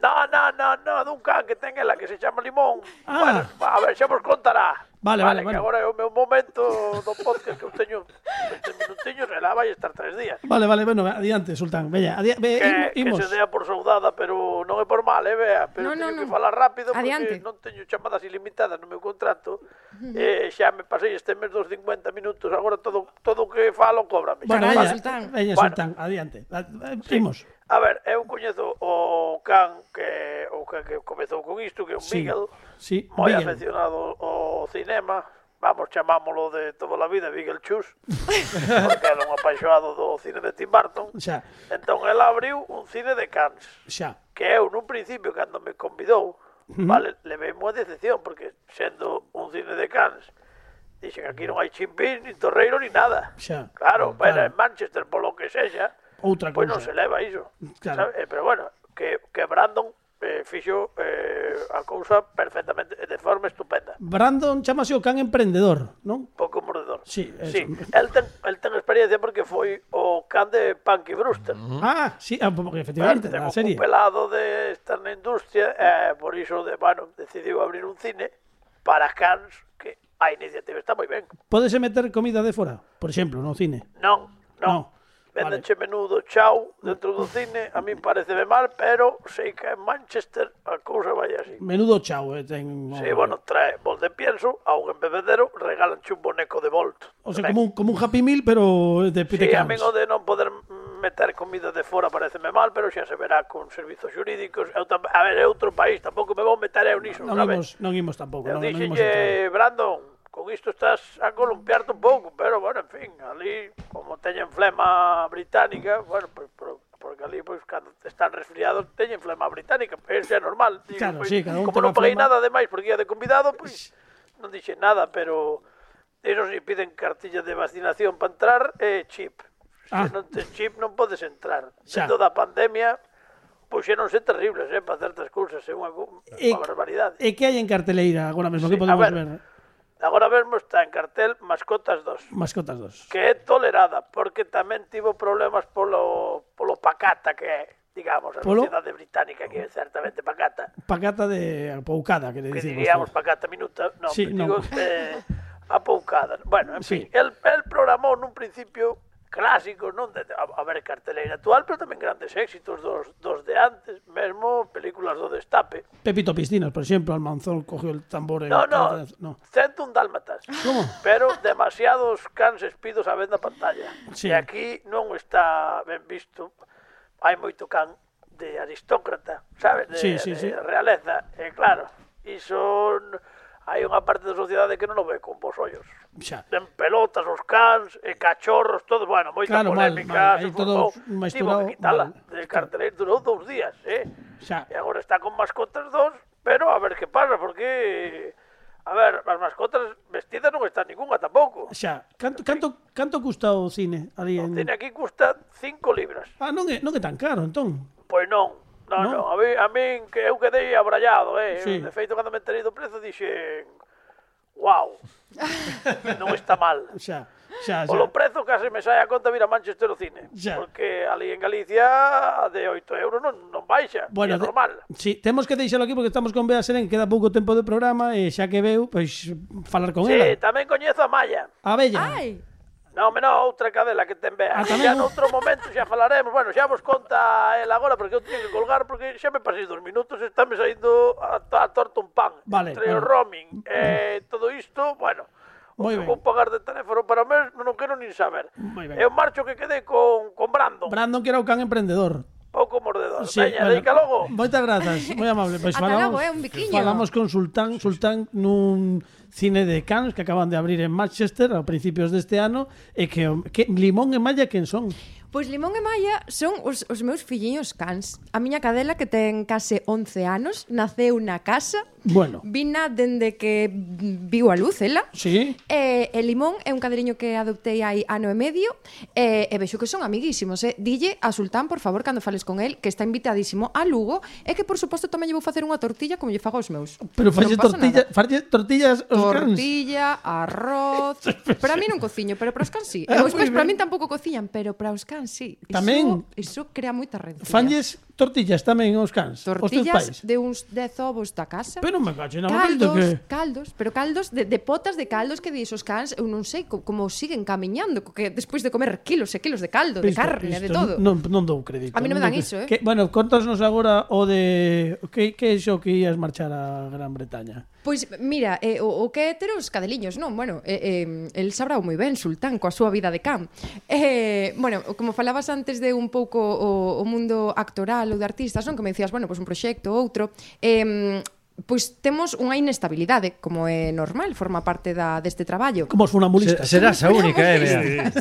No, no, no, no, dun can que ten ela que se chama Limón. Ah. Bueno, a ver, xa vos contará. Vale, vale, que bueno. agora é o meu momento do podcast que eu teño veinte minutinhos e lá vai estar tres días. Vale, vale, bueno, adiante, Sultán. Veña, adi ve, Que, que imos. se dea por saudada, pero non é por mal, eh, vea. Pero No, no, teño que no. falar rápido porque Adiante. non teño chamadas ilimitadas no meu contrato. Eh, xa me pasei este mes dos cincuenta minutos, agora todo todo o que falo cóbrame. Bueno, Carallo, veña, Sultán. veña, Bueno. Sultán, adiante. Imos. A ver, eu coñezo o can que o can que comezou con isto, que é un Sí, Miguel, sí, moi Miguel. afeccionado ao cinema. Vamos, chamámolo de toda a vida Miguel Chus, porque era un apaixonado do cine de Tim Burton. Xa, Entón, ele abriu un cine de Cannes, xa. que eu, nun principio, cando me convidou, vale, levei unha decepción, porque sendo un cine de Cannes, dixen aquí non hai chimpín, ni torreiro, ni nada. Xa. Claro, Claro. pero en Manchester, polo que sexa, Outra pois cousa. non se leva iso. Claro. Sabe? Eh, Pero bueno, que, que Brandon eh, fixo eh, a cousa perfectamente, de forma estupenda. Brandon chamase o can emprendedor, non? Pouco mordedor. Sí, eso. sí. El, ten, el ten experiencia porque foi o can de Punky Brewster. Ah, sí, ah, porque efectivamente, Ten da un serie. pelado de estar na industria, eh, por iso, de, bueno, decidiu abrir un cine para Cannes, que a iniciativa está moi ben. Pódese meter comida de fora, por exemplo, no cine. Non, No, non. Vendenche menudo chau dentro do cine, a mí pareceme mal, pero sei que en Manchester a cousa vai así. Menudo chao, eh, ten. Sí, bueno, trae bol de pienso, a un embebedero, regalanche un boneco de Volt. O sea, como un, como un Happy Meal, pero de, de Sí, a Cannes. mí o de non poder meter comida de fora pareceme mal, pero xa se verá con servizos xurídicos. Eu tam... A ver, é outro país, tampouco me vou meter eu niso, Non sabes? imos, non imos tampouco. Eu Non, non imos entrar. dixenlle, Brandon, con isto estás a columpiarte un pouco, pero, bueno, en fin, ali, como teñen flema británica, bueno, pues, por, porque ali, pois, pues, cando están resfriados, teñen flema británica, eso é normal. Digo, Claro, pois, sí, cada un como ten non a paguei flema. nada de máis porque ia de convidado, pois, non dixen nada, pero eso si piden cartilla de vacinación para entrar, e chip. Ah. Se non tes chip non podes entrar. Xa. Dentro da pandemia, puxéronse terribles, eh, para certas cousas, é unha, co- E, unha barbaridade. e que hai en carteleira agora mesmo? Sí, Que podemos a ver. ver? Agora mesmo está en cartel Mascotas dos, Mascotas dos. que é tolerada, porque tamén tivo problemas polo, polo pacata que é, digamos, a Polo? sociedade británica, que é certamente pacata, Pacata de apoucada, que le que dicimos. diríamos pacata minuta, non, Sí, digo, non. eh, apoucada. Bueno, en Sí. fin, el, el programou nun principio clásicos, non? De, a, a ver, carteleira actual, pero tamén grandes éxitos dos, dos de antes, mesmo películas do Destape. Pepito Piscinas, por exemplo, Almanzón cogió el tambor. en- No, no, no. cento un dálmatas. Como? Pero demasiados cans espidos a ver na pantalla. Sí. E aquí non está ben visto. Hai moito can de aristócrata, sabes? De, Sí, sí, de sí. realeza. E claro, iso n- hai unha parte da sociedade que non o ve con vos ollos. Xa. En pelotas os cans, e cachorros, todo, bueno, moita Claro, mal, polémica, mal, se aí todo formou. mesturado, Tivo que quitala mal. de cartelera, durou dous días, eh? Xa. E agora está con mascotas dos, pero a ver que pasa, porque... A ver, as mascotas vestidas non está ninguna tampouco. Xa. Canto, canto, canto custa o cine ali O en... cine aquí custa cinco libras. Ah, non é, non é tan caro, entón. Pois non, non, Non? non. A mí, a min que eu quedei abrallado, eh. Sí. De feito, cando me enterei do prezo, dixen... Wow, non está mal. Xa, xa, xa. Polo prezo case me sai a conta vir a Manchester o cine. Xa. Porque ali en Galicia de oito euros non, non baixa, Bueno, é de- normal. Sí, temos que deixalo aquí porque estamos con Bea Serén, queda pouco tempo de programa e xa que veu, pois falar con Sí, ela. tamén coñezo a Maya. A Bella. Ai, Non, me non, outra cadela que ten Bea. Ah, tamén Xa un- noutro momento xa falaremos. Bueno, xa vos conta ela agora porque eu teño que colgar porque xa me pasei dos minutos e estame saindo a, a torta un pan. Vale, Entre o vale. roaming e todo isto, bueno, o Moi que ben. vou pagar de teléfono para o mes non quero nin saber. Moi ben. Eu marcho que quedei con, con Brandon, Brandon que era o can emprendedor. pouco mordedor. Sí, Veña, bueno, dedica logo. Moitas grazas, moi amable. Pois Ata falamos, logo, é un biquiño. falamos con Sultán, Sultán nun cine de Cannes que acaban de abrir en Manchester a principios deste ano e que, o- que Limón e Malla quen son? pois Limón e Maya son os, os meus filliños cans. A miña cadela, que ten case once anos, naceu na casa. Bueno, Vina dende que viu a luz, ela. sí, E, e Limón é un cadriño que adoptei hai ano e medio e, e vexo que son amiguísimos. Eh. Dille a Sultán, por favor, cando fales con el, que está invitadísimo a Lugo e que, por suposto, tamén lle vou facer unha tortilla como lle fago aos meus. pero falle Non pasa tortilla, nada. falle tortillas aos cans. Tortilla, arroz... Para mí non cociño, pero para os cans sí. E Ah, os moi pais para ben. min tampouco cociñan, pero para os cans sí. Iso- Tamén. Iso crea moita rencilla. Fanlles tortillas tamén os cans. os teus Tortillas pais. de uns dez ovos da casa. Pero me cacho na Caldos, que... caldos, pero caldos de, de potas de caldos que dis os cans, eu non sei co- como siguen camiñando, co que despois de comer kilos e kilos de caldo, de Pisto, carne, de pisto, todo. Non, non dou crédito. A mí non me dou dan crédito. iso, eh. Que, bueno, contasnos agora o de... Que, que é iso que ías marchar a Gran Bretaña? Pois mira, eh, o, o que é ter os cadeliños, non? Bueno, eh, eh, el sabrá moi ben, Sultán, coa súa vida de can. Eh, bueno, como falabas antes de un pouco o, o mundo actoral ou de artistas, non? Que me decías, bueno, pois un proxecto, outro... Eh, pois temos unha inestabilidade, como é normal, forma parte da deste traballo. Como os funambulistas. Se, serás a única, eh, Bea.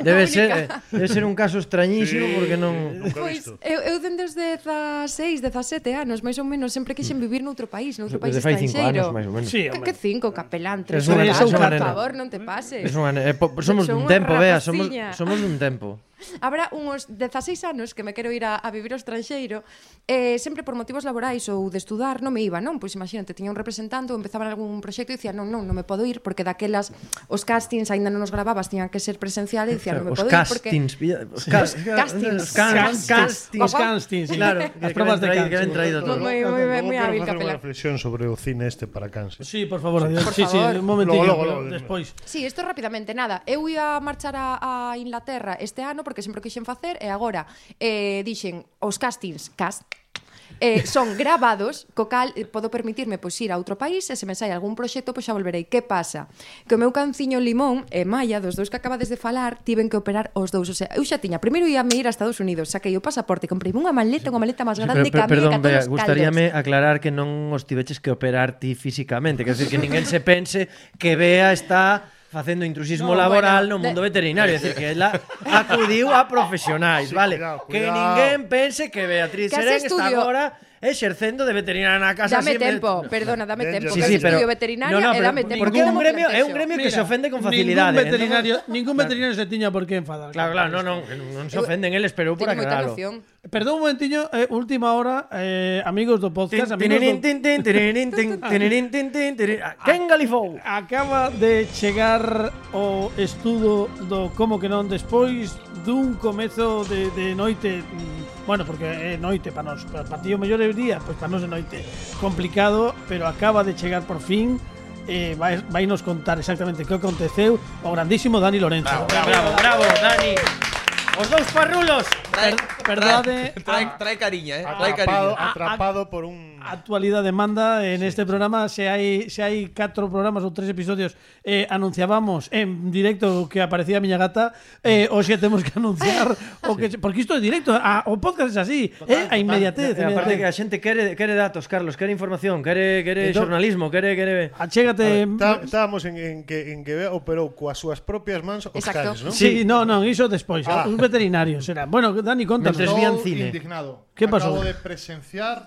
Debe A ser, única. eh, debe ser un caso extrañísimo Sí, porque non... nunca he Pois visto. eu, eu dende os dezaseis, dezasete anos, máis ou menos, sempre quixen vivir noutro país, noutro país Desde fai cinco estranxeiro. anos, máis ou menos. Sí, Que, hombre. que cinco, capelán, tres, Es unha- catro, es unha por nena. favor, non te pases. Es unha, eh, po- somos Son dun unha tempo, Bea, somos, rapaciña. somos dun tempo. Habrá uns dezaseis anos que me quero ir a, a vivir ao estranxeiro, eh, sempre por motivos laborais ou de estudar non me iba, non? Pois imagínate, tiña un representante ou empezaba en algún proxecto e dicía, non, non, non me podo ir porque daquelas os castings aínda non os grababas, tiñan que ser presencial e dicía, non me Os podo ir porque castings, pilla- os cas- Castings. os can- Castings. castings. Os castings, sí. Claro, As que, probas que de ven traído, cans, que ven sí. traído todo. Moi, moi, Luego moi quero hábil, facer unha capelán. reflexión sobre o cine este para cans. Sí, por favor, adiós. Por sí, sí, favor. un momentillo, Logo, logo, pero logo, despois. Sí, isto rapidamente, nada. Eu ia marchar a, a Inglaterra este ano porque sempre o quixen facer e agora eh, dixen os castings, cast, eh, son gravados, co cal eh, podo permitirme pois ir a outro país e se me sai algún proxecto pois xa volverei. Que pasa? Que o meu canciño Limón e Maya, dos dous que acabades de falar, tiven que operar os dous. O sea, eu xa tiña, primeiro ia me ir a Estados Unidos, saquei o pasaporte, comprei unha maleta, unha maleta máis grande que a miña, perdón, que a Bea, todos os gustaríame caldos. aclarar que non os tiveches que operar ti físicamente, quer decir que ninguén se pense que Bea está facendo intrusismo No, laboral bueno, no mundo de- veterinario, é dicir, que ela acudiu a profesionais, Sí, vale? cuidado, Que cuidado. ninguén pense que Beatriz Que Serén ese está estudio- agora exercendo de veterinaria na casa. Dame así en vez- tempo, perdona, dame Danger. tempo. Sí, que sí, eu pero estudio veterinaria no, no, e pero dame tempo. porque que é un non me gremio, é un plantexo. gremio que Mira, se ofende con facilidade. Ningún veterinario, ningún veterinario se tiña por que enfadar. Claro, claro, no, no, que non se ofenden eles, pero eu por Teño moita aclararlo. emoción. Perdón un momentiño, eh, última hora, eh, amigos do podcast, amigos Tinirín, do... tin, tin, tinirín, tin, tinirín, tin, tin, tinirín. Ah, Ken Galifou. Acaba de chegar o estudo do Como que non despois dun comezo de, de noite, mm, bueno, porque é noite para nós, para ti o mellor é o día, pois para nós é noite complicado, pero acaba de chegar por fin. Eh, vai, vai nos contar exactamente que aconteceu o grandísimo Dani Lorenzo. Bravo, bravo, Dani. Os dous parrulos. Per, perdade, Trae, trae cariña, eh. Trae Atrapado, cariña. atrapado por un... a actualidade manda en este programa. Se hai se hai catro programas ou tres episodios eh, anunciábamos en directo que aparecía a miña gata, eh, hoxe temos que anunciar o que porque isto é directo, a, o podcast é así, eh, a inmediatez, E aparte que a inmediatez. xente quere quere datos, Carlos, quere información, quere quere Entón- xornalismo, quere quere Achégate. Tá- Estábamos en, en que en que Bea operou coas súas propias mans os Exacto. cans, non? Sí, no, non, iso despois, Ah. os veterinarios era. Bueno, Dani, contanos. Mentres vían Estou cine. indignado. ¿Qué pasó? Acabo de presenciar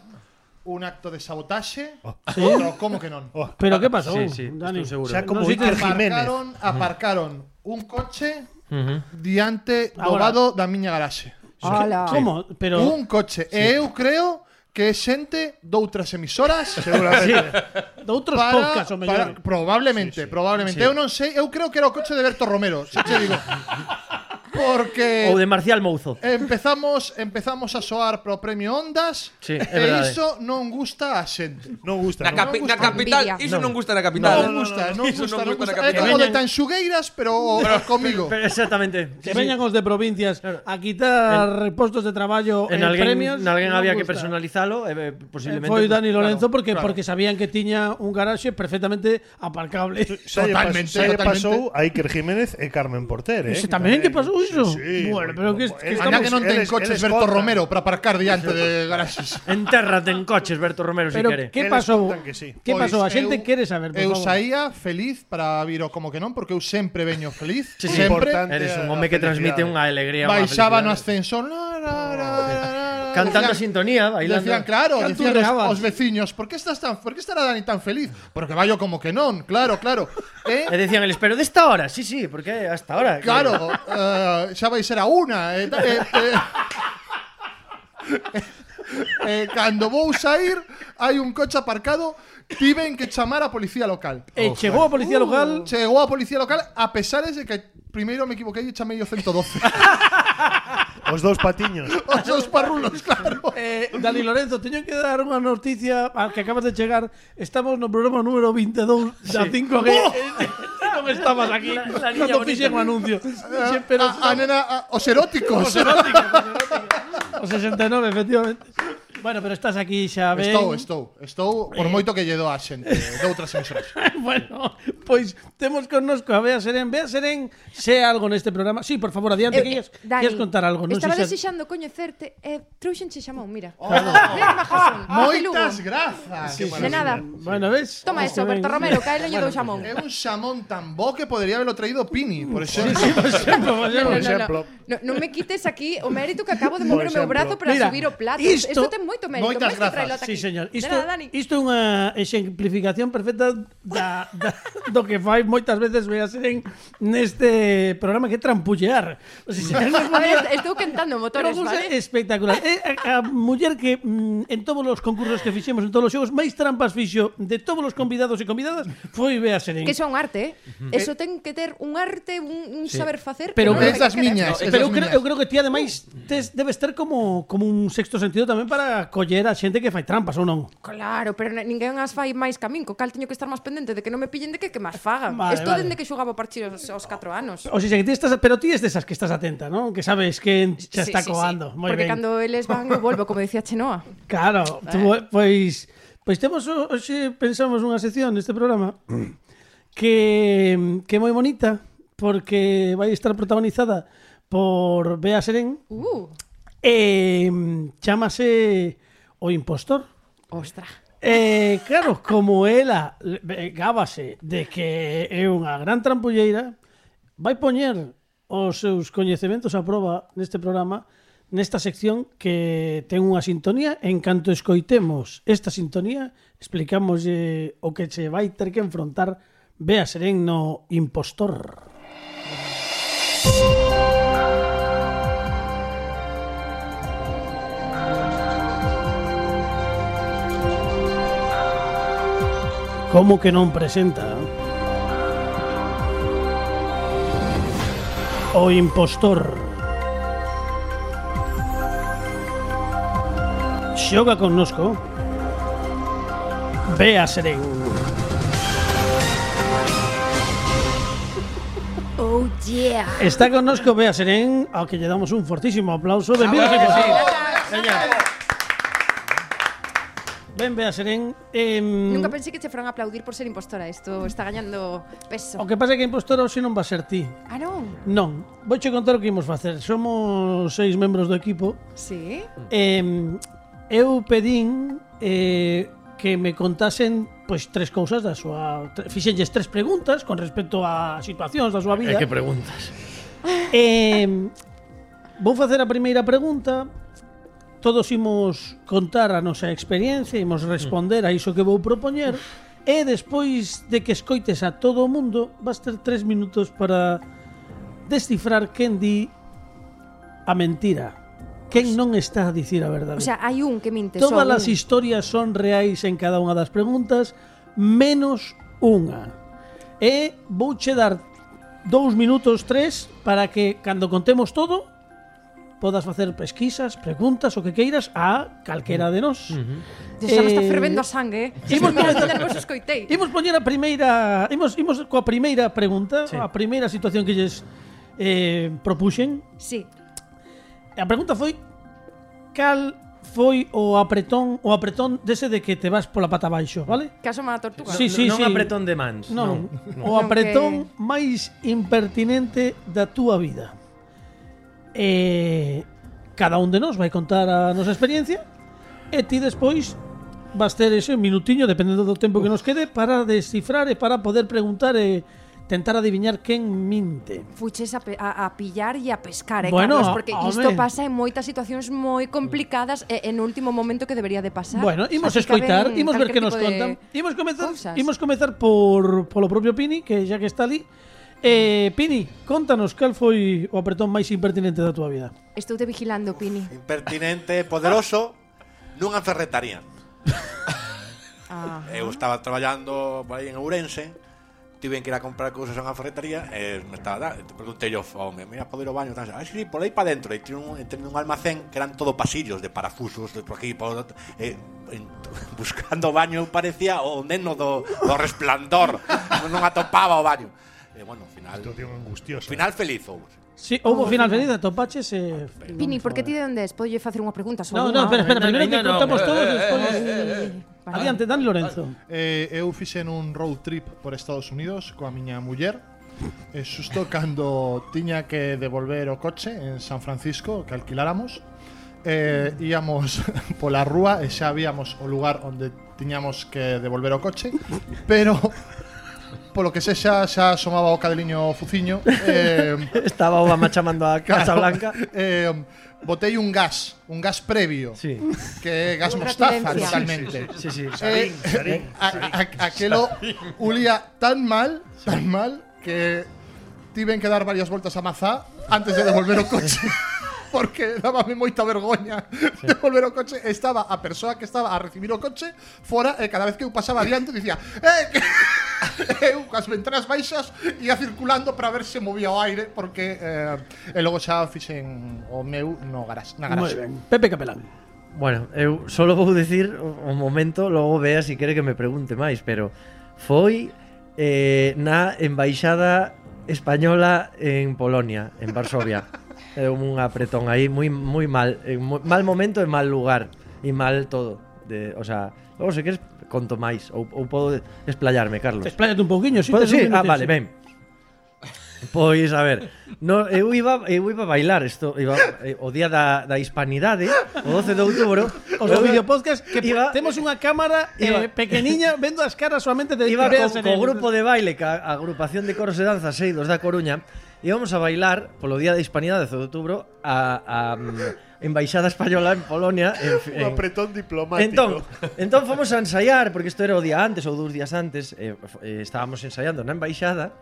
un acto de sabotaxe. ¿Sí? Pero como que non? Oh, Pero que pasou, Sí, sí, Dani? estou seguro. Xa como Non sei Iker te- Jiménez. Aparcaron, aparcaron un coche Ujú. diante do Ahora. vado da miña garaxe. Ala. Como? Pero Un coche. E eu creo que é xente doutras emisoras Seguramente. de outros para, podcasts o para, mellor. probablemente, probablemente. Eu non sei, eu creo que era o coche de Berto Romero, xa che digo. Porque Ou de Marcial Mouzo. empezamos empezamos a soar pro premio Ondas Sí, é e verdade. iso non gusta a xente. Non gusta, Na, non? capi gusta. na capital, Envidia. iso non gusta na Non capital. gusta, non Iso gusta, non gusta. na É capital. como de veñan- Tanxugueiras, pero comigo. Pero exactamente. Que Sí, sí. veñan os de provincias a quitar postos de traballo En en alguén, premios. en alguén non había que gusta. personalizalo e eh, posiblemente Foi Dani Lorenzo claro, porque claro. porque sabían que tiña un garaxe perfectamente aparcable. Xa lle pas- Totalmente, xa lle totalmente. pasou a Iker Jiménez e Carmen Porter, eh? Ese tamén que pasou iso? Sí, sí, Bueno, pero que, que Anda estamos que non ten eles- coches eles Berto contan. Romero para aparcar diante de garaxes. Entérrate en coches, Berto Romero, si Pero quere. que Eles pasou? contan que sí. Que Pois pasou? A xente eu- quere saber, por Eu favor. saía feliz para vir ao como que non, porque eu sempre veño feliz. Sí, sí, sempre. importante. Eres un a home que transmite felicidade. unha alegría, unha Baixaba no felicidade. ascensor. La, la, la, la, la, Cantando a decían- sintonía, bailando. Decían, claro, decían Canturreabas. os, os veciños, por que estás tan, por que estará Dani tan feliz? Porque vaio como que non, claro, claro. Eh? E decían eles, pero desta hora, sí, sí, porque hasta ahora. Claro, eh, xa vai ser a una. Eh, eh, eh, eh, cando vou sair, hai un coche aparcado, tiven que chamar a policía local. E chegou a policía local. Chegou a policía local a pesares de que primeiro me equivoquei e chamei o ciento doce. O Os dous patiños. Os dous parrulos, claro. Eh, Dani Lorenzo, teño que dar unha noticia a que acabas de chegar. Estamos no programa número veintidós da cinco G. Oh. Non estabas aquí La- la niña cando fixen o anuncio. Dixe, pero A, a nena, a, os eróticos. os eróticos, os eróticos. O sesenta e nove, efectivamente. Bueno, pero estás aquí xa ben. Estou, estou, estou por moito que lle do a xente de outras emisoras. Bueno, pois temos connosco a Bea Serén. Bea Serén, sé algo neste programa. Sí, por favor, adiante, Eh, que queres, Dani, queres contar algo. Non estaba sei se- desexando coñecerte e eh, trouxenche xamón, mira. Mira, majasón. Moitas grazas. Sí, sí, De nada. Bueno, ves? Toma Este eso, ben- Berto Romero, cae leño do xamón. É un xamón tan bo que podería haberlo traído Pini, por exemplo. Sí, por exemplo, por No, exemplo. no, no, exemplo. no, non me quites aquí o mérito que acabo de mover o meu brazo para Mira, subir o plato. isto- Isto ten moito mérito. Moitas Máis que grazas. traelo ata Sí, aquí. señor. De Isto, nada, Dani. isto é unha exemplificación perfecta da, da, do que fai moitas veces Bea Serén neste programa, que é trampullear. O sea, se nos A ver, ponía- estou cantando Pero motores, cousa vale? espectacular. É a, a muller que mm, en todos os concursos que fixemos, en todos os xogos, máis trampas fixo de todos os convidados e convidadas foi Bea Serén. Que son arte, eh? Eso ten que ter un arte, un, un saber facer. Pero que non que- hai Esas que ter. miñas, No, esas pero eu creo, miñas. eu creo que ti ademais tes, debes ter como, como un sexto sentido tamén para coller a xente que fai trampas ou non. Claro, pero n- ninguén as fai máis camín, co cal teño que estar máis pendente de que non me pillen de que que máis fagan. Vale, Isto vale. dende que xogaba partir aos, aos catro anos. O sea, que ti estás, pero ti es desas que estás atenta, ¿no? Que sabes que xa está Sí, sí, coando. sí. Moi Porque ben. cando eles van eu volvo, como decía Chenoa. Claro, tú, pois pois temos o- hoxe pensamos unha sección neste programa que que é moi bonita porque vai estar protagonizada por Bea Serén Uh, e chámase O Impostor. ostra. Eh, claro, como ela eh, gábase de que é unha gran trampulleira, vai poñer os seus coñecementos a proba neste programa, nesta sección que ten unha sintonía. En canto escoitemos esta sintonía, explicamos eh, o que se vai ter que enfrontar Bea Serén no Impostor. Como que non presenta O Impostor? Xoga connosco Bea Serén. Oh yeah. Está connosco Bea Serén, ao que lle damos un fortísimo aplauso. Benvidos ao Impostor. Ben, Bea Serén. Eh, Nunca pensei que che fueran a aplaudir por ser impostora. Isto está gañando peso. O que pasa é que a impostora hoxe non va a ser ti. Ah, non? Non, vouche contar o que imos facer. Somos seis membros do equipo. Sí? Eh, eu pedín eh, que me contasen pois tres cousas da súa... tre- Fixenlles tres preguntas con respecto a situacións da súa vida. É que preguntas. Eh, vou facer a primeira pregunta. Todos imos contar a nosa experiencia, imos responder a iso que vou propoñer. E despois de que escoites a todo o mundo, vas ter tres minutos para descifrar quen di a mentira, quen non está a dicir a verdade. O sea, hai un que minte Todas só as un. historias son reais en cada unha das preguntas, menos unha. E vouche dar dous minutos, tres, para que cando contemos todo podas facer pesquisas, preguntas, o que queiras a calquera de nós. Dios, xa me está Eh, fervendo a sangue, eh? imos Imos me comenzar- nervoso escoitei. Imos poñer a primeira, imos imos coa primeira pregunta, Sí. a primeira situación que lles eh, propuxen. Sí. A pregunta foi cal foi o apretón, o apretón dese de que te vas pola pata abaixo, vale? Caso má tortuga. Sí, sí, non sí. apretón de mans. Non, non. o Non, apretón máis impertinente da túa vida. Eh, cada un de nós vai contar a nosa experiencia e ti despois vas ter ese minutiño, dependendo do tempo que nos quede, para descifrar e para poder preguntar e tentar adiviñar quen minte. Fuches a, pe- a, a pillar e a pescar, eh, Bueno, Carlos, porque home. isto pasa en moitas situacións moi complicadas e en último momento que debería de pasar. Bueno, imos Así que escoitar, caben imos ver que calquer nos tipo de contan. Imos comezar, cousas. imos comezar por polo propio Pini, que xa que está ali. Eh, Pini, contanos cal foi o apretón máis impertinente da túa vida. Estou te vigilando, Pini. Impertinente, poderoso, nunha ferretaría. Ah. Eu estaba traballando por aí en Ourense Tiven que ir a comprar cousas a unha ferretería e me estaba da, preguntei yo ao home, mira, podo ir ao baño, tal, ah, sí, por aí para dentro, e tiene un, tiene un almacén que eran todo pasillos de parafusos, de por aquí, por, eh, en, buscando o baño parecía o neno do, do Resplandor, non atopaba o baño. E bueno, ao final, Situación angustiosa. final feliz houve. Sí, houve final feliz, atopaches e... Pini, por que ti de onde es? Podolle facer unha pregunta? No, no, espera, espera, primeiro que no, no, contamos eh, todos, eh, despois... Vale. Adiante, Dani Lorenzo. Eh, eu fixen un road trip por Estados Unidos coa miña muller. E xusto cando tiña que devolver o coche en San Francisco, que alquiláramos, eh, íamos pola rúa e xa víamos o lugar onde tiñamos que devolver o coche, pero polo que sexa xa asomaba o cadeliño fuciño. eh, Estaba Obama chamando a Casa Blanca. eh, botei un gas, un gas previo, Sí. que é gas Unha mostaza referencia. totalmente. Sí, sí. Eh, eh, a- a- aquelo ulía tan mal, tan mal que tiven que dar varias voltas a Mazá antes de devolver o coche. Porque dábame moita vergoña devolver o coche. Estaba a persoa que estaba a recibir o coche fora e cada vez que eu pasaba adiante dicía eh, que... eu cas ventanas baixas ia circulando para ver se movía o aire porque eh, e logo xa fixen o meu no garas, na Moi garaxe. ben. Pepe Capelán. Bueno, eu solo vou dicir un momento, logo vea se si quere que me pregunte máis, pero foi eh, na embaixada española en Polonia, en Varsovia. É un apretón aí moi moi mal, en moi, mal momento e mal lugar e mal todo. De, o sea, logo se queres conto máis ou, ou podo explayarme, Carlos. Expláyate un pouquiño, si Podo, tes sí? un Ah, minuto, vale, sí. ben. Pois, a ver, no, eu iba eu iba a bailar isto, iba, eh, o día da, da hispanidade, o doce de outubro. Os eu do iba- videopodcast que iba- temos unha cámara iba- eh, pequeniña vendo as caras solamente de Iba que co, veas en co el- grupo de baile, ca a agrupación de coros e danzas Seidos da Coruña. Íbamos a bailar polo día da hispanidade doce de outubro a, a mm, embaixada española en Polonia en, Un en, apretón diplomático. Entón, entón fomos a ensaiar, porque isto era o día antes ou dous días antes, eh, eh, estábamos ensaiando na embaixada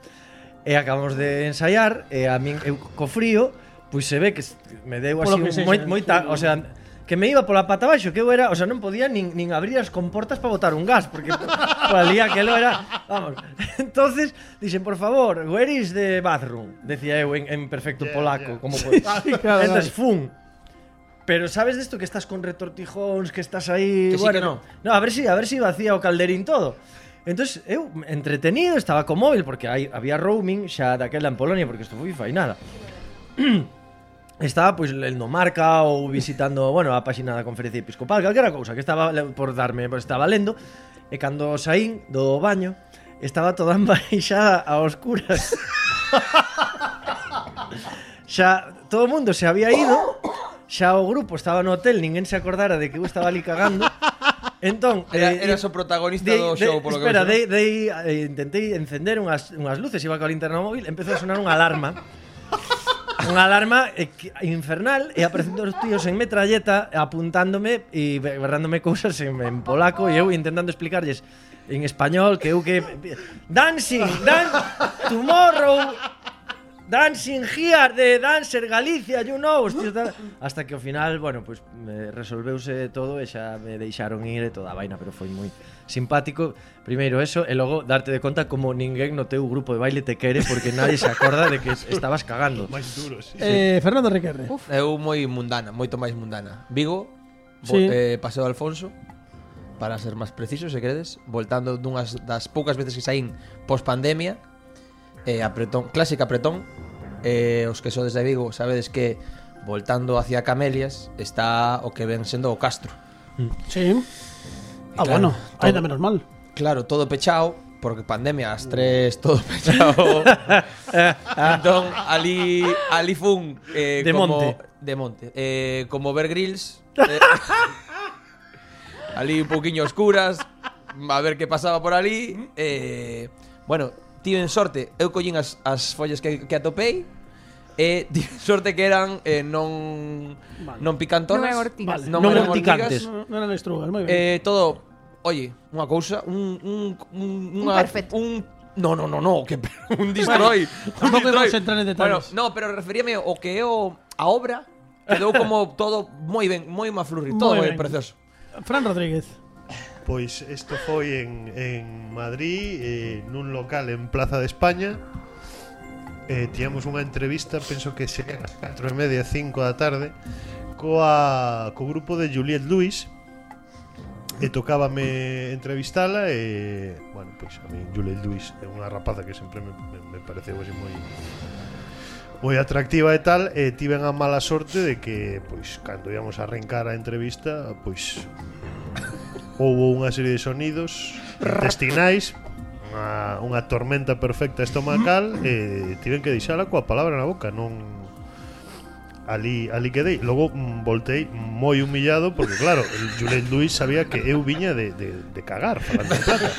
e acabamos de ensaiar e a min eu co frío, pois se ve que s- me deu así Polo que un sexa, moi, moita, o sea, que me iba pola pata baixo, que eu era, o sea, non podía nin, nin abrir as comportas para botar un gas, porque por ali aquelo era, vamos. Entonces, dixen, por favor, where is the bathroom? Decía eu en, en perfecto Yeah, polaco, yeah. como podes. claro, Entonces, fun. Pero sabes desto que estás con retortijóns, que estás aí, Que sí, bueno, que no. No, a ver si, a ver si vacía o calderín todo. Entonces, eu entretenido, estaba co móvil porque hai, había roaming xa daquela en Polonia, porque isto foi fainada. Estaba pois lendo Marca ou visitando, bueno, a páxina da Conferencia Episcopal, calquera cousa que estaba le- por darme, pues, estaba lendo, e cando saín do baño, estaba toda embaixada a oscuras. Xa todo o mundo se había ido, xa o grupo estaba no hotel, ninguén se acordara de que eu estaba ali cagando. Entón, Era, eh, eras o protagonista dei- do dei- show, polo que espera, vexo, dei, dei, eh, intentei encender unhas, unhas luces, iba coa linterna móvil, empezou a sonar unha alarma. Unha alarma eh, que- infernal e aparecendo os tíos en metralleta apuntándome e berrándome cousas en, en polaco e eu intentando explicarlles en español que eu que dancing, dan tomorrow dancing here de Dancer Galicia, you know, hostia, tal. Hasta que ao final, bueno, pues me resolveuse todo e xa me deixaron ir e toda a vaina, pero foi moi simpático. Primeiro eso e logo darte de conta como ninguén no teu grupo de baile te quere porque nadie se acorda de que estabas cagando. Máis duro, sí. Eh, Fernando Requerre. Eu moi mundana, moito máis mundana. Vigo, Sí. vo, eh, Paseo de Alfonso, para ser máis preciso, se queredes, voltando dunhas das poucas veces que saín pos pandemia, eh, apretón, clásica apretón. Eh, os que sodes de Vigo sabedes que voltando hacia Camelias está o que ven sendo o Castro. Sí. Ah, Claro, bueno, todo- ainda menos mal. Claro, todo pechado, porque pandemia as tres todo pechado. Entón, ali ali fun eh, De como, monte. de monte. Eh, como ver grills. Eh, ali un pouquiño oscuras, a ver que pasaba por ali. Eh, bueno, tiven sorte, eu collín as, as follas que, que atopei. E tiven sorte que eran eh, non Vale. non picantonas. Non eran ortigas. Non, Non eran urticantes. ortigas. No, no eran estrugas, moi ben. Eh, todo, oye, unha cousa, un un un unha, perfecto. un no, no, no, no, que un destroy. un tampouco destroy. imos entrar en detalles. Bueno, no, pero referíame o que é o a obra quedou como todo moi ben, moi maflurri, todo Moi moi ben. precioso. Fran Rodríguez. Pois isto foi en, en Madrid, eh, nun local en Plaza de España. Eh, Tiñamos unha entrevista, penso que serían as catro e media, cinco da tarde, coa, co grupo de Juliette Lewis. E tocábame entrevistala e, bueno, pois a mí Juliette Lewis é unha rapaza que sempre me, me, me pareceu así moi moi atractiva e tal, e tiven a mala sorte de que, pois, cando íamos a arrancar a entrevista, pois houbo unha serie de sonidos intestinais, unha, unha tormenta perfecta estomacal, e tiven que deixala coa palabra na boca, non ali ali quedei. Logo mm, voltei moi humillado porque claro, el Juliette Lewis sabía que eu viña de, de, de cagar falando en plata.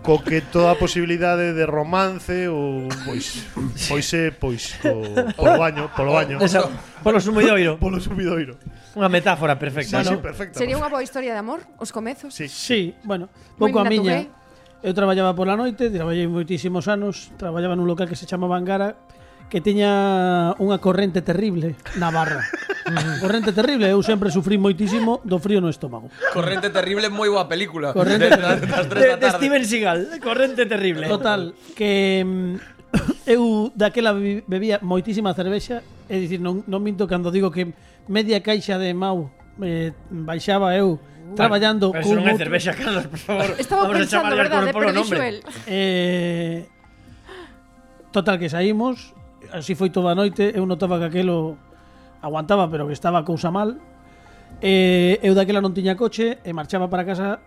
Co que toda a posibilidade de romance ou pois poise pois co, polo baño, polo baño. Esa, polo sumidoiro. Polo sumidoiro. Unha metáfora perfecta. Sí, ¿no? sí, perfecta. Sería unha boa historia de amor, os comezos? Sí. Sí, bueno, pouco a Moi miña. natural. Eu traballaba pola noite, traballei moitísimos anos, traballaba nun local que se chama Vangara, que tiña unha corrente terrible na barra. Corrente terrible, eu sempre sufrí moitísimo do frío no estómago. Corrente terrible, moi boa película. Corrente de, das, das tres De, da de tarde. Steven Seagal, corrente terrible. Total, que mm, eu daquela be- bebía moitísima cervexa, é dicir, non, non minto cando digo que media caixa de Mau eh, baixaba eu traballando Pero eso non é outro- cervexa, Carlos, por favor. Estaba Vamos a pensando, chamarlle al verdade, polo pero dixo nombre. el. Eh, total que saímos, así foi toda a noite, eu notaba que aquelo aguantaba, pero que estaba a cousa mal. Eh, eu daquela non tiña coche e marchaba para casa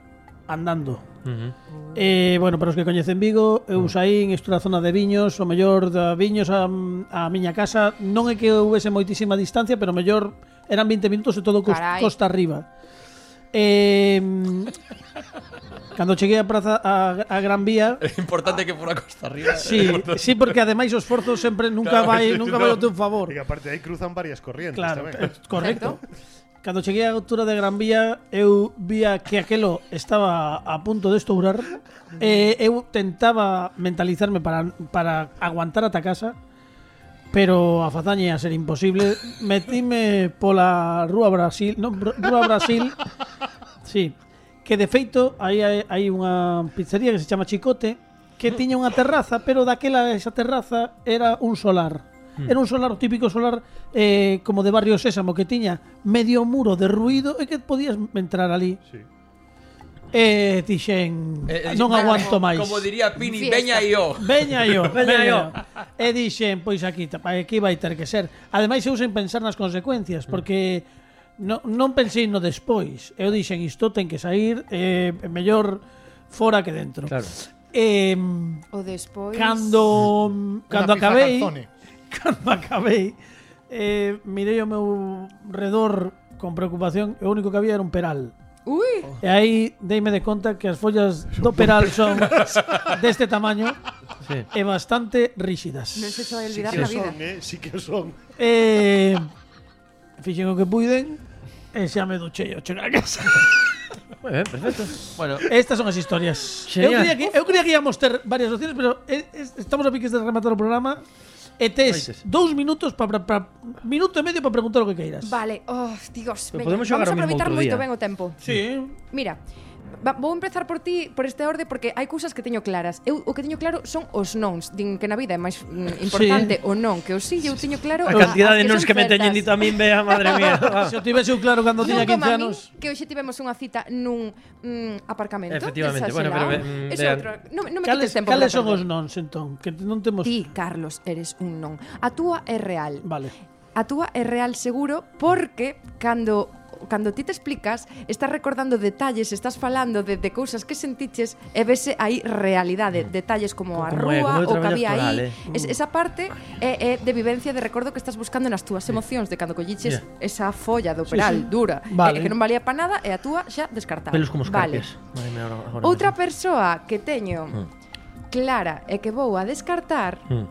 andando. Uh-huh. Eh, bueno, para os que coñecen Vigo, eu saín, estou na zona de Viños, o mellor da Viños a, a miña casa, non é que houvese moitísima distancia, pero o mellor eran veinte minutos e todo cos, Carai. costa arriba. Eh, cando cheguei a praza a, a Gran Vía, É importante que fora costa arriba. sí, sí, porque ademais o esforzo sempre nunca Claro, vai, sí, nunca no. vai ao teu favor. E aparte aí cruzan varias corrientes Claro, tamén. eh, correcto. Cando cheguei á altura de Gran Vía, eu vía que aquelo estaba a punto de estourar. E eu tentaba mentalizarme para, para aguantar ata casa, pero a fazaña ia ser imposible. Metíme pola Rúa Brasil, non, Rúa Brasil. Sí, que de feito aí hai, hai unha pizzería que se chama Chicote, que tiña unha terraza, pero daquela esa terraza era un solar. Era un solar, o típico solar eh, como de Barrio Sésamo, que tiña medio muro de ruido e que podías entrar ali. Sí. E dixen, Eh, eh, non como- aguanto máis. Como diría Pini, Fiesta. veña e yo. Veña yo, Veña veña yo. yo. E dixen, pois aquí, tapa, aquí vai ter que ser. Ademais, eu sen pensar nas consecuencias, porque non, non pensei no despois. Eu dixen, isto ten que sair, eh, mellor fora que dentro. Claro. Eh, O despois... cando cando Unha pizza acabei, calzone. cando acabei, eh, mirei ao meu redor con preocupación, e o único que había era un peral. Ui, E aí deime de conta que as follas do peral son deste tamaño Sí. e bastante ríxidas. non se cho vai Sí olvidar que na o vida. son, eh? Sí que o son. Eh, fixen o que puiden e xa me duchei ao chegar a casa. Moi ben, perfecto. Bueno, Estas son as historias. Eu Genial. creía, que, eu creía que íamos ter varias opciones, pero eh, es- estamos a piques de rematar o programa e tes Oites. dous minutos para pa, minuto e medio para preguntar o que queiras. Vale, oh, Dios, Pero veña, podemos xogar vamos a o mismo aproveitar outro moito día. ben o tempo. Sí. Mira, va, vou empezar por ti, por este orde, porque hai cousas que teño claras. Eu o que teño claro son os nons. Din que na vida é máis mm, importante o non que o sí. Eu teño claro A cantidad as de nons son que me teñen certas. dito a min, vea, madre mía. Se o tivese eu claro cando tiña Non como quince a min, anos. que hoxe tivemos unha cita nun mm, aparcamento. Efectivamente, bueno, desaxelao. pero, mm, Ese vean. outro. Non, non me Cales, quites tempo. cales para son os perder. nons, entón? Que non temos... Ti, Carlos, eres un non. A túa é real. Vale. A túa é real seguro porque cando cando ti te explicas, estás recordando detalles, estás falando de, de cousas que sentiches e vese aí realidade, detalles como a Como é, rúa, como é o o que traballo había actoral, aí. eh. Es, esa parte é, é de vivencia, de recordo que estás buscando nas túas emocións, de cando colliches Yeah. esa folla do peral sí. dura, Vale. e que non valía para nada, e a túa xa descartada. Pelos como os Vale. carpias. Madre mía, ahora- ahora Outra mesmo. persoa que teño clara e que vou a descartar, Mm.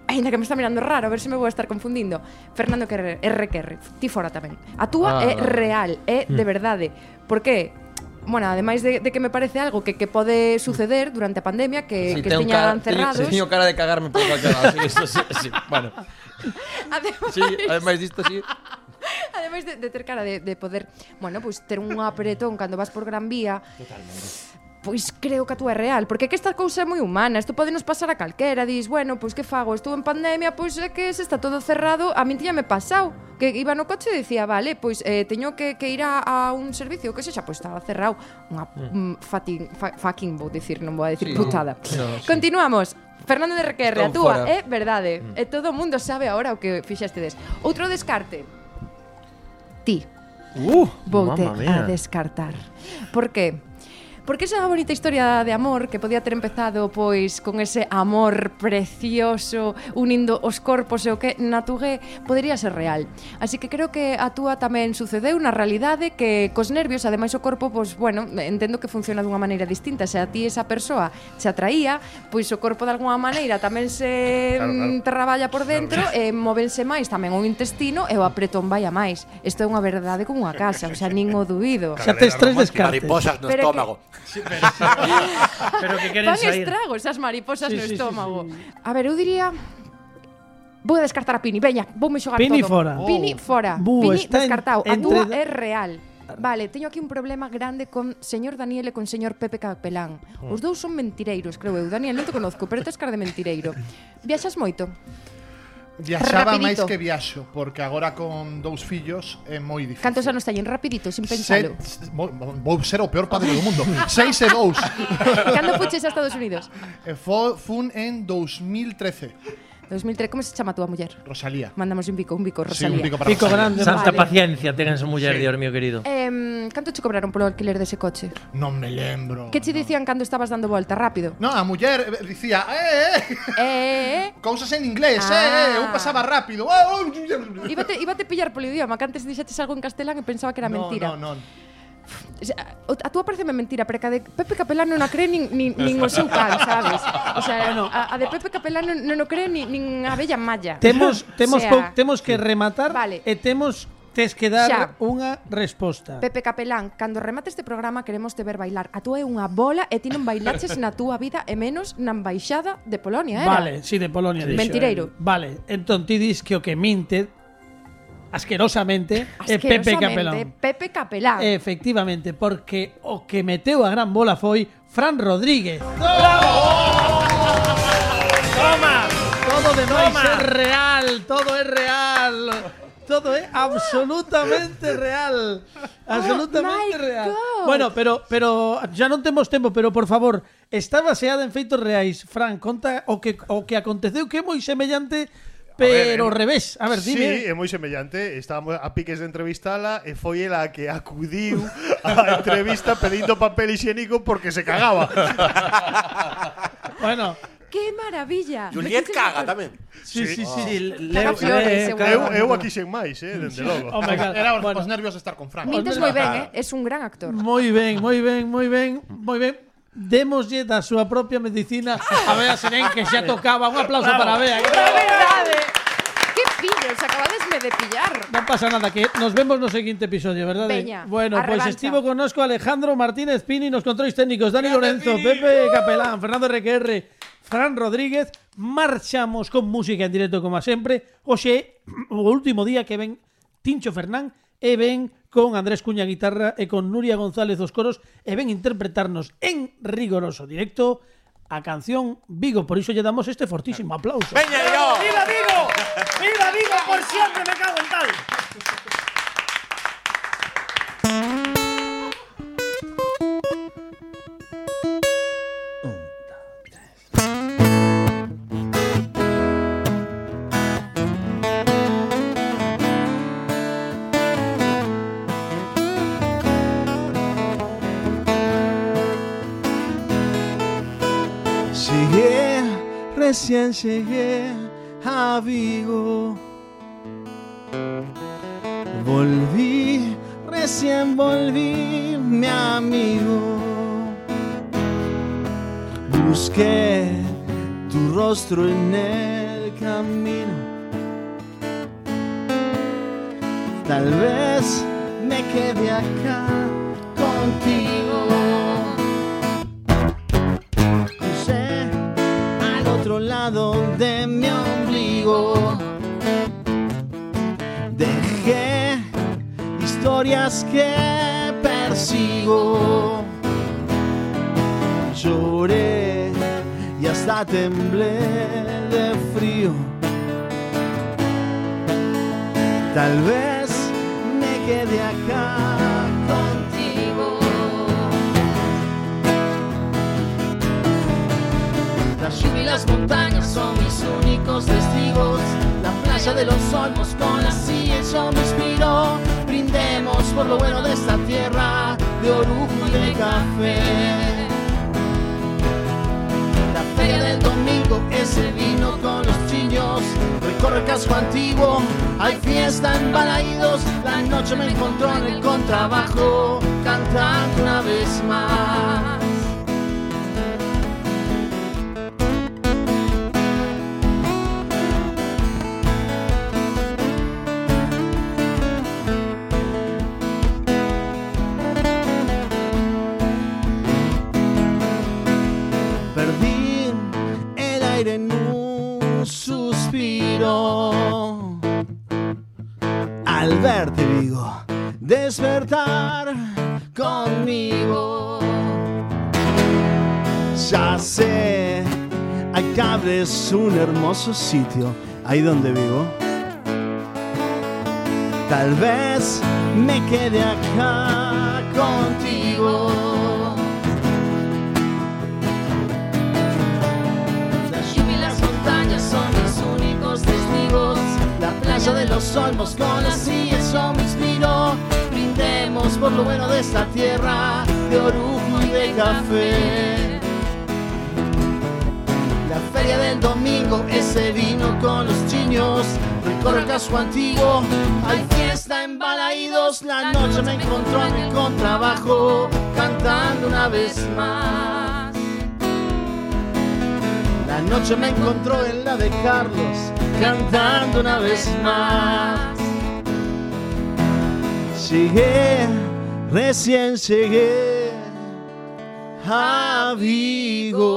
aínda que me está mirando raro, a ver se me vou a estar confundindo, Fernando Querre, R Q R, ti fora tamén. A túa Ah. é real, é de verdade. Por que? Bueno, ademais de, de que me parece algo que, que pode suceder durante a pandemia, que, sí, que tengo estiñan cara, teño, cerrados. teño cara de cagarme por cualquier lado. Sí, eso sí, sí. Bueno, Ademais, sí, ademais disto sí. ademais de, de ter cara de, de poder, bueno, pois pues, ter un apretón cando vas por Gran Vía. Totalmente. Pois creo que a túa é real, porque é que esta cousa é moi humana, isto pode nos pasar a calquera, dis, bueno, pois que fago, estou en pandemia, pois é que se está todo cerrado, a min tiña me pasado, que iba no coche e dicía, vale, pois eh, teño que, que ir a, a un servicio, que sexa, pois estaba cerrado, unha mm. fatin, fa, fucking, vou dicir, non vou a dicir sí, putada. No, sí. Continuamos. Fernando de Requerre, a túa é verdade, mm. e todo o mundo sabe agora o que fixestedes. Outro descarte. Ti. Uh, Voute a descartar. Por que? Porque esa bonita historia de amor que podía ter empezado pois con ese amor precioso unindo os corpos e o que natugué podería ser real. Así que creo que a túa tamén sucedeu na realidade que cos nervios, ademais o corpo, pois bueno, entendo que funciona dunha maneira distinta. Se a ti esa persoa se atraía, pois o corpo de alguna maneira tamén se claro, claro. traballa por dentro e móvense máis tamén o intestino e o apretón vai a máis. Isto é unha verdade como unha casa, o sea, nin o dubido. Xa tes tres descartes. Mariposas no estómago. Sí, pero, sí, pero que queren sair. Fan estragos esas mariposas sí, no sí, estómago. Sí, sí. A ver, eu diría... Vou a descartar a Pini. Veña, voume xogar Pini todo. fora. Pini oh. fora. Bu, Pini descartado. A túa entre... é real. Vale, teño aquí un problema grande con señor Daniel e con señor Pepe Capelán. Os dous son mentireiros, creo eu. Daniel, non te conozco, pero tes cara de mentireiro. Viaxas moito? Viaxaba máis que viaxo, porque agora con dous fillos é moi difícil. Cantos anos teñen? Rapidito, sin pensalo. Se, vou ser o peor padre do mundo. Seis e dous. Cando fuches a Estados Unidos? E fo, fun en dos mil trece. dos mil tres, como se chama a túa muller? Rosalía. Mandamos un bico, un bico, Rosalía. Sí, un bico para Pico Rosalía. grande. Santa Vale. paciencia ten esa muller, sí. Dios mío querido. Eh, canto che cobraron polo alquiler dese coche? Non me lembro. Que che dicían cando estabas dando volta? Rápido. No, a muller eh, dicía, eh, eh, Eh, cousas en inglés, Ah. eh, eh, eu pasaba rápido. Oh, oh. Íbate, íbate pillar polo idioma, que antes dixetes algo en castelán e pensaba que era No, mentira. no, no. O sea, a túa pareceme mentira, pero que a de Pepe Capelán non a cree nin, nin, nin o seu can, sabes? O sea, a, a de Pepe Capelán non, non o cree nin, nin a bella malla. Temos temos O sea, pou- temos que rematar Vale. e temos tes que dar Xa. unha resposta. Pepe Capelán, cando remate este programa queremos te ver bailar. A túa é unha bola e ti non bailaches na túa vida e menos na embaixada de Polonia, era? Vale, si sí, de Polonia. Sí. dixo, Mentireiro. eh. Vale, entón ti dis que o que minte asquerosamente é Pepe Capelán. Pepe Capelán. Efectivamente, porque o que meteu a gran bola foi Fran Rodríguez. Toma! Todo demais Toma. é real, todo é real. Todo é absolutamente real. Absolutamente my real. God. Bueno, pero pero ya non temos tempo, pero por favor, está baseada en feitos reais. Fran, conta o que o que aconteceu que é moi semellante, pero ao revés. A ver, dime. Sí, é moi semellante. Estábamos a piques de entrevistala e foi ela a que acudiu á entrevista pedindo papel higiénico porque se cagaba. Bueno, ¡Qué maravilla! Juliet caga tamén. sí, sí, sí. Sí, Caga leo, flores, leo, seguro. Eu, caga. eu aquí sen máis, eh, dende logo. Oh my God. Era os, Bueno. os nervios de estar con Frank. Mintes moi ben, eh? Es un gran actor. Moi ben, moi ben, moi ben, moi ben. Démoslle da súa propia medicina a Bea Serén, que xa tocaba. Un aplauso para Bea. ¡De verdade! ¡Qué pillos! Acabadesme de pillar. Non pasa nada, que nos vemos no seguinte episodio, verdade? Veña, bueno, a pois pues revancha. estivo connosco Alejandro Martínez Pini nos controis técnicos, Dani Lorenzo, Pepe Capelán, Fernando Requerre, Fran Rodríguez. Marchamos con música en directo como sempre. Hoxe o último día que ven Tincho Fernán e ven con Andrés Cuña guitarra e con Nuria González os coros e ven interpretarnos en rigoroso directo a canción Vigo. Por iso lle damos este fortísimo aplauso. Veña, yo. ¡Viva Vigo! ¡Viva Vigo por siempre! ¡Me cago en tal! Llegué, recién llegué a Vigo. Volví, recién volví, mi amigo. Busqué tu rostro en el camino. Tal vez me quede acá contigo. Crucé al otro lado de mi ombligo. Dejé historias que persigo. Lloré y hasta temblé de frío. Tal vez me quede acá contigo. La lluvia y las montañas son mis únicos testigos. La playa de los olmos con la silla eso me inspiró. Brindemos por lo bueno de esta tierra de orujo y de café. La feria del domingo es el vino con los chiños. Recorre el casco antiguo, hay fiesta en Balaídos. La noche me encontró en el contrabajo, cantando una vez más. Perdí el aire en un suspiro al verte, digo, despertar conmigo. Ya sé, Aycabre es un hermoso sitio, ahí donde vivo. Tal vez me quede acá contigo. Son mis únicos testigos. La playa de los olmos con la silla eso me inspiró. Brindemos por lo bueno de esta tierra de orujo y de café. La feria del domingo, ese vino con los chiños. Recorre el casco antiguo, hay fiesta en Balaídos. La noche me encontró en el contrabajo, cantando una vez más. La noche me encontró en la de Carlos, cantando una vez más. Llegué, recién llegué a Vigo.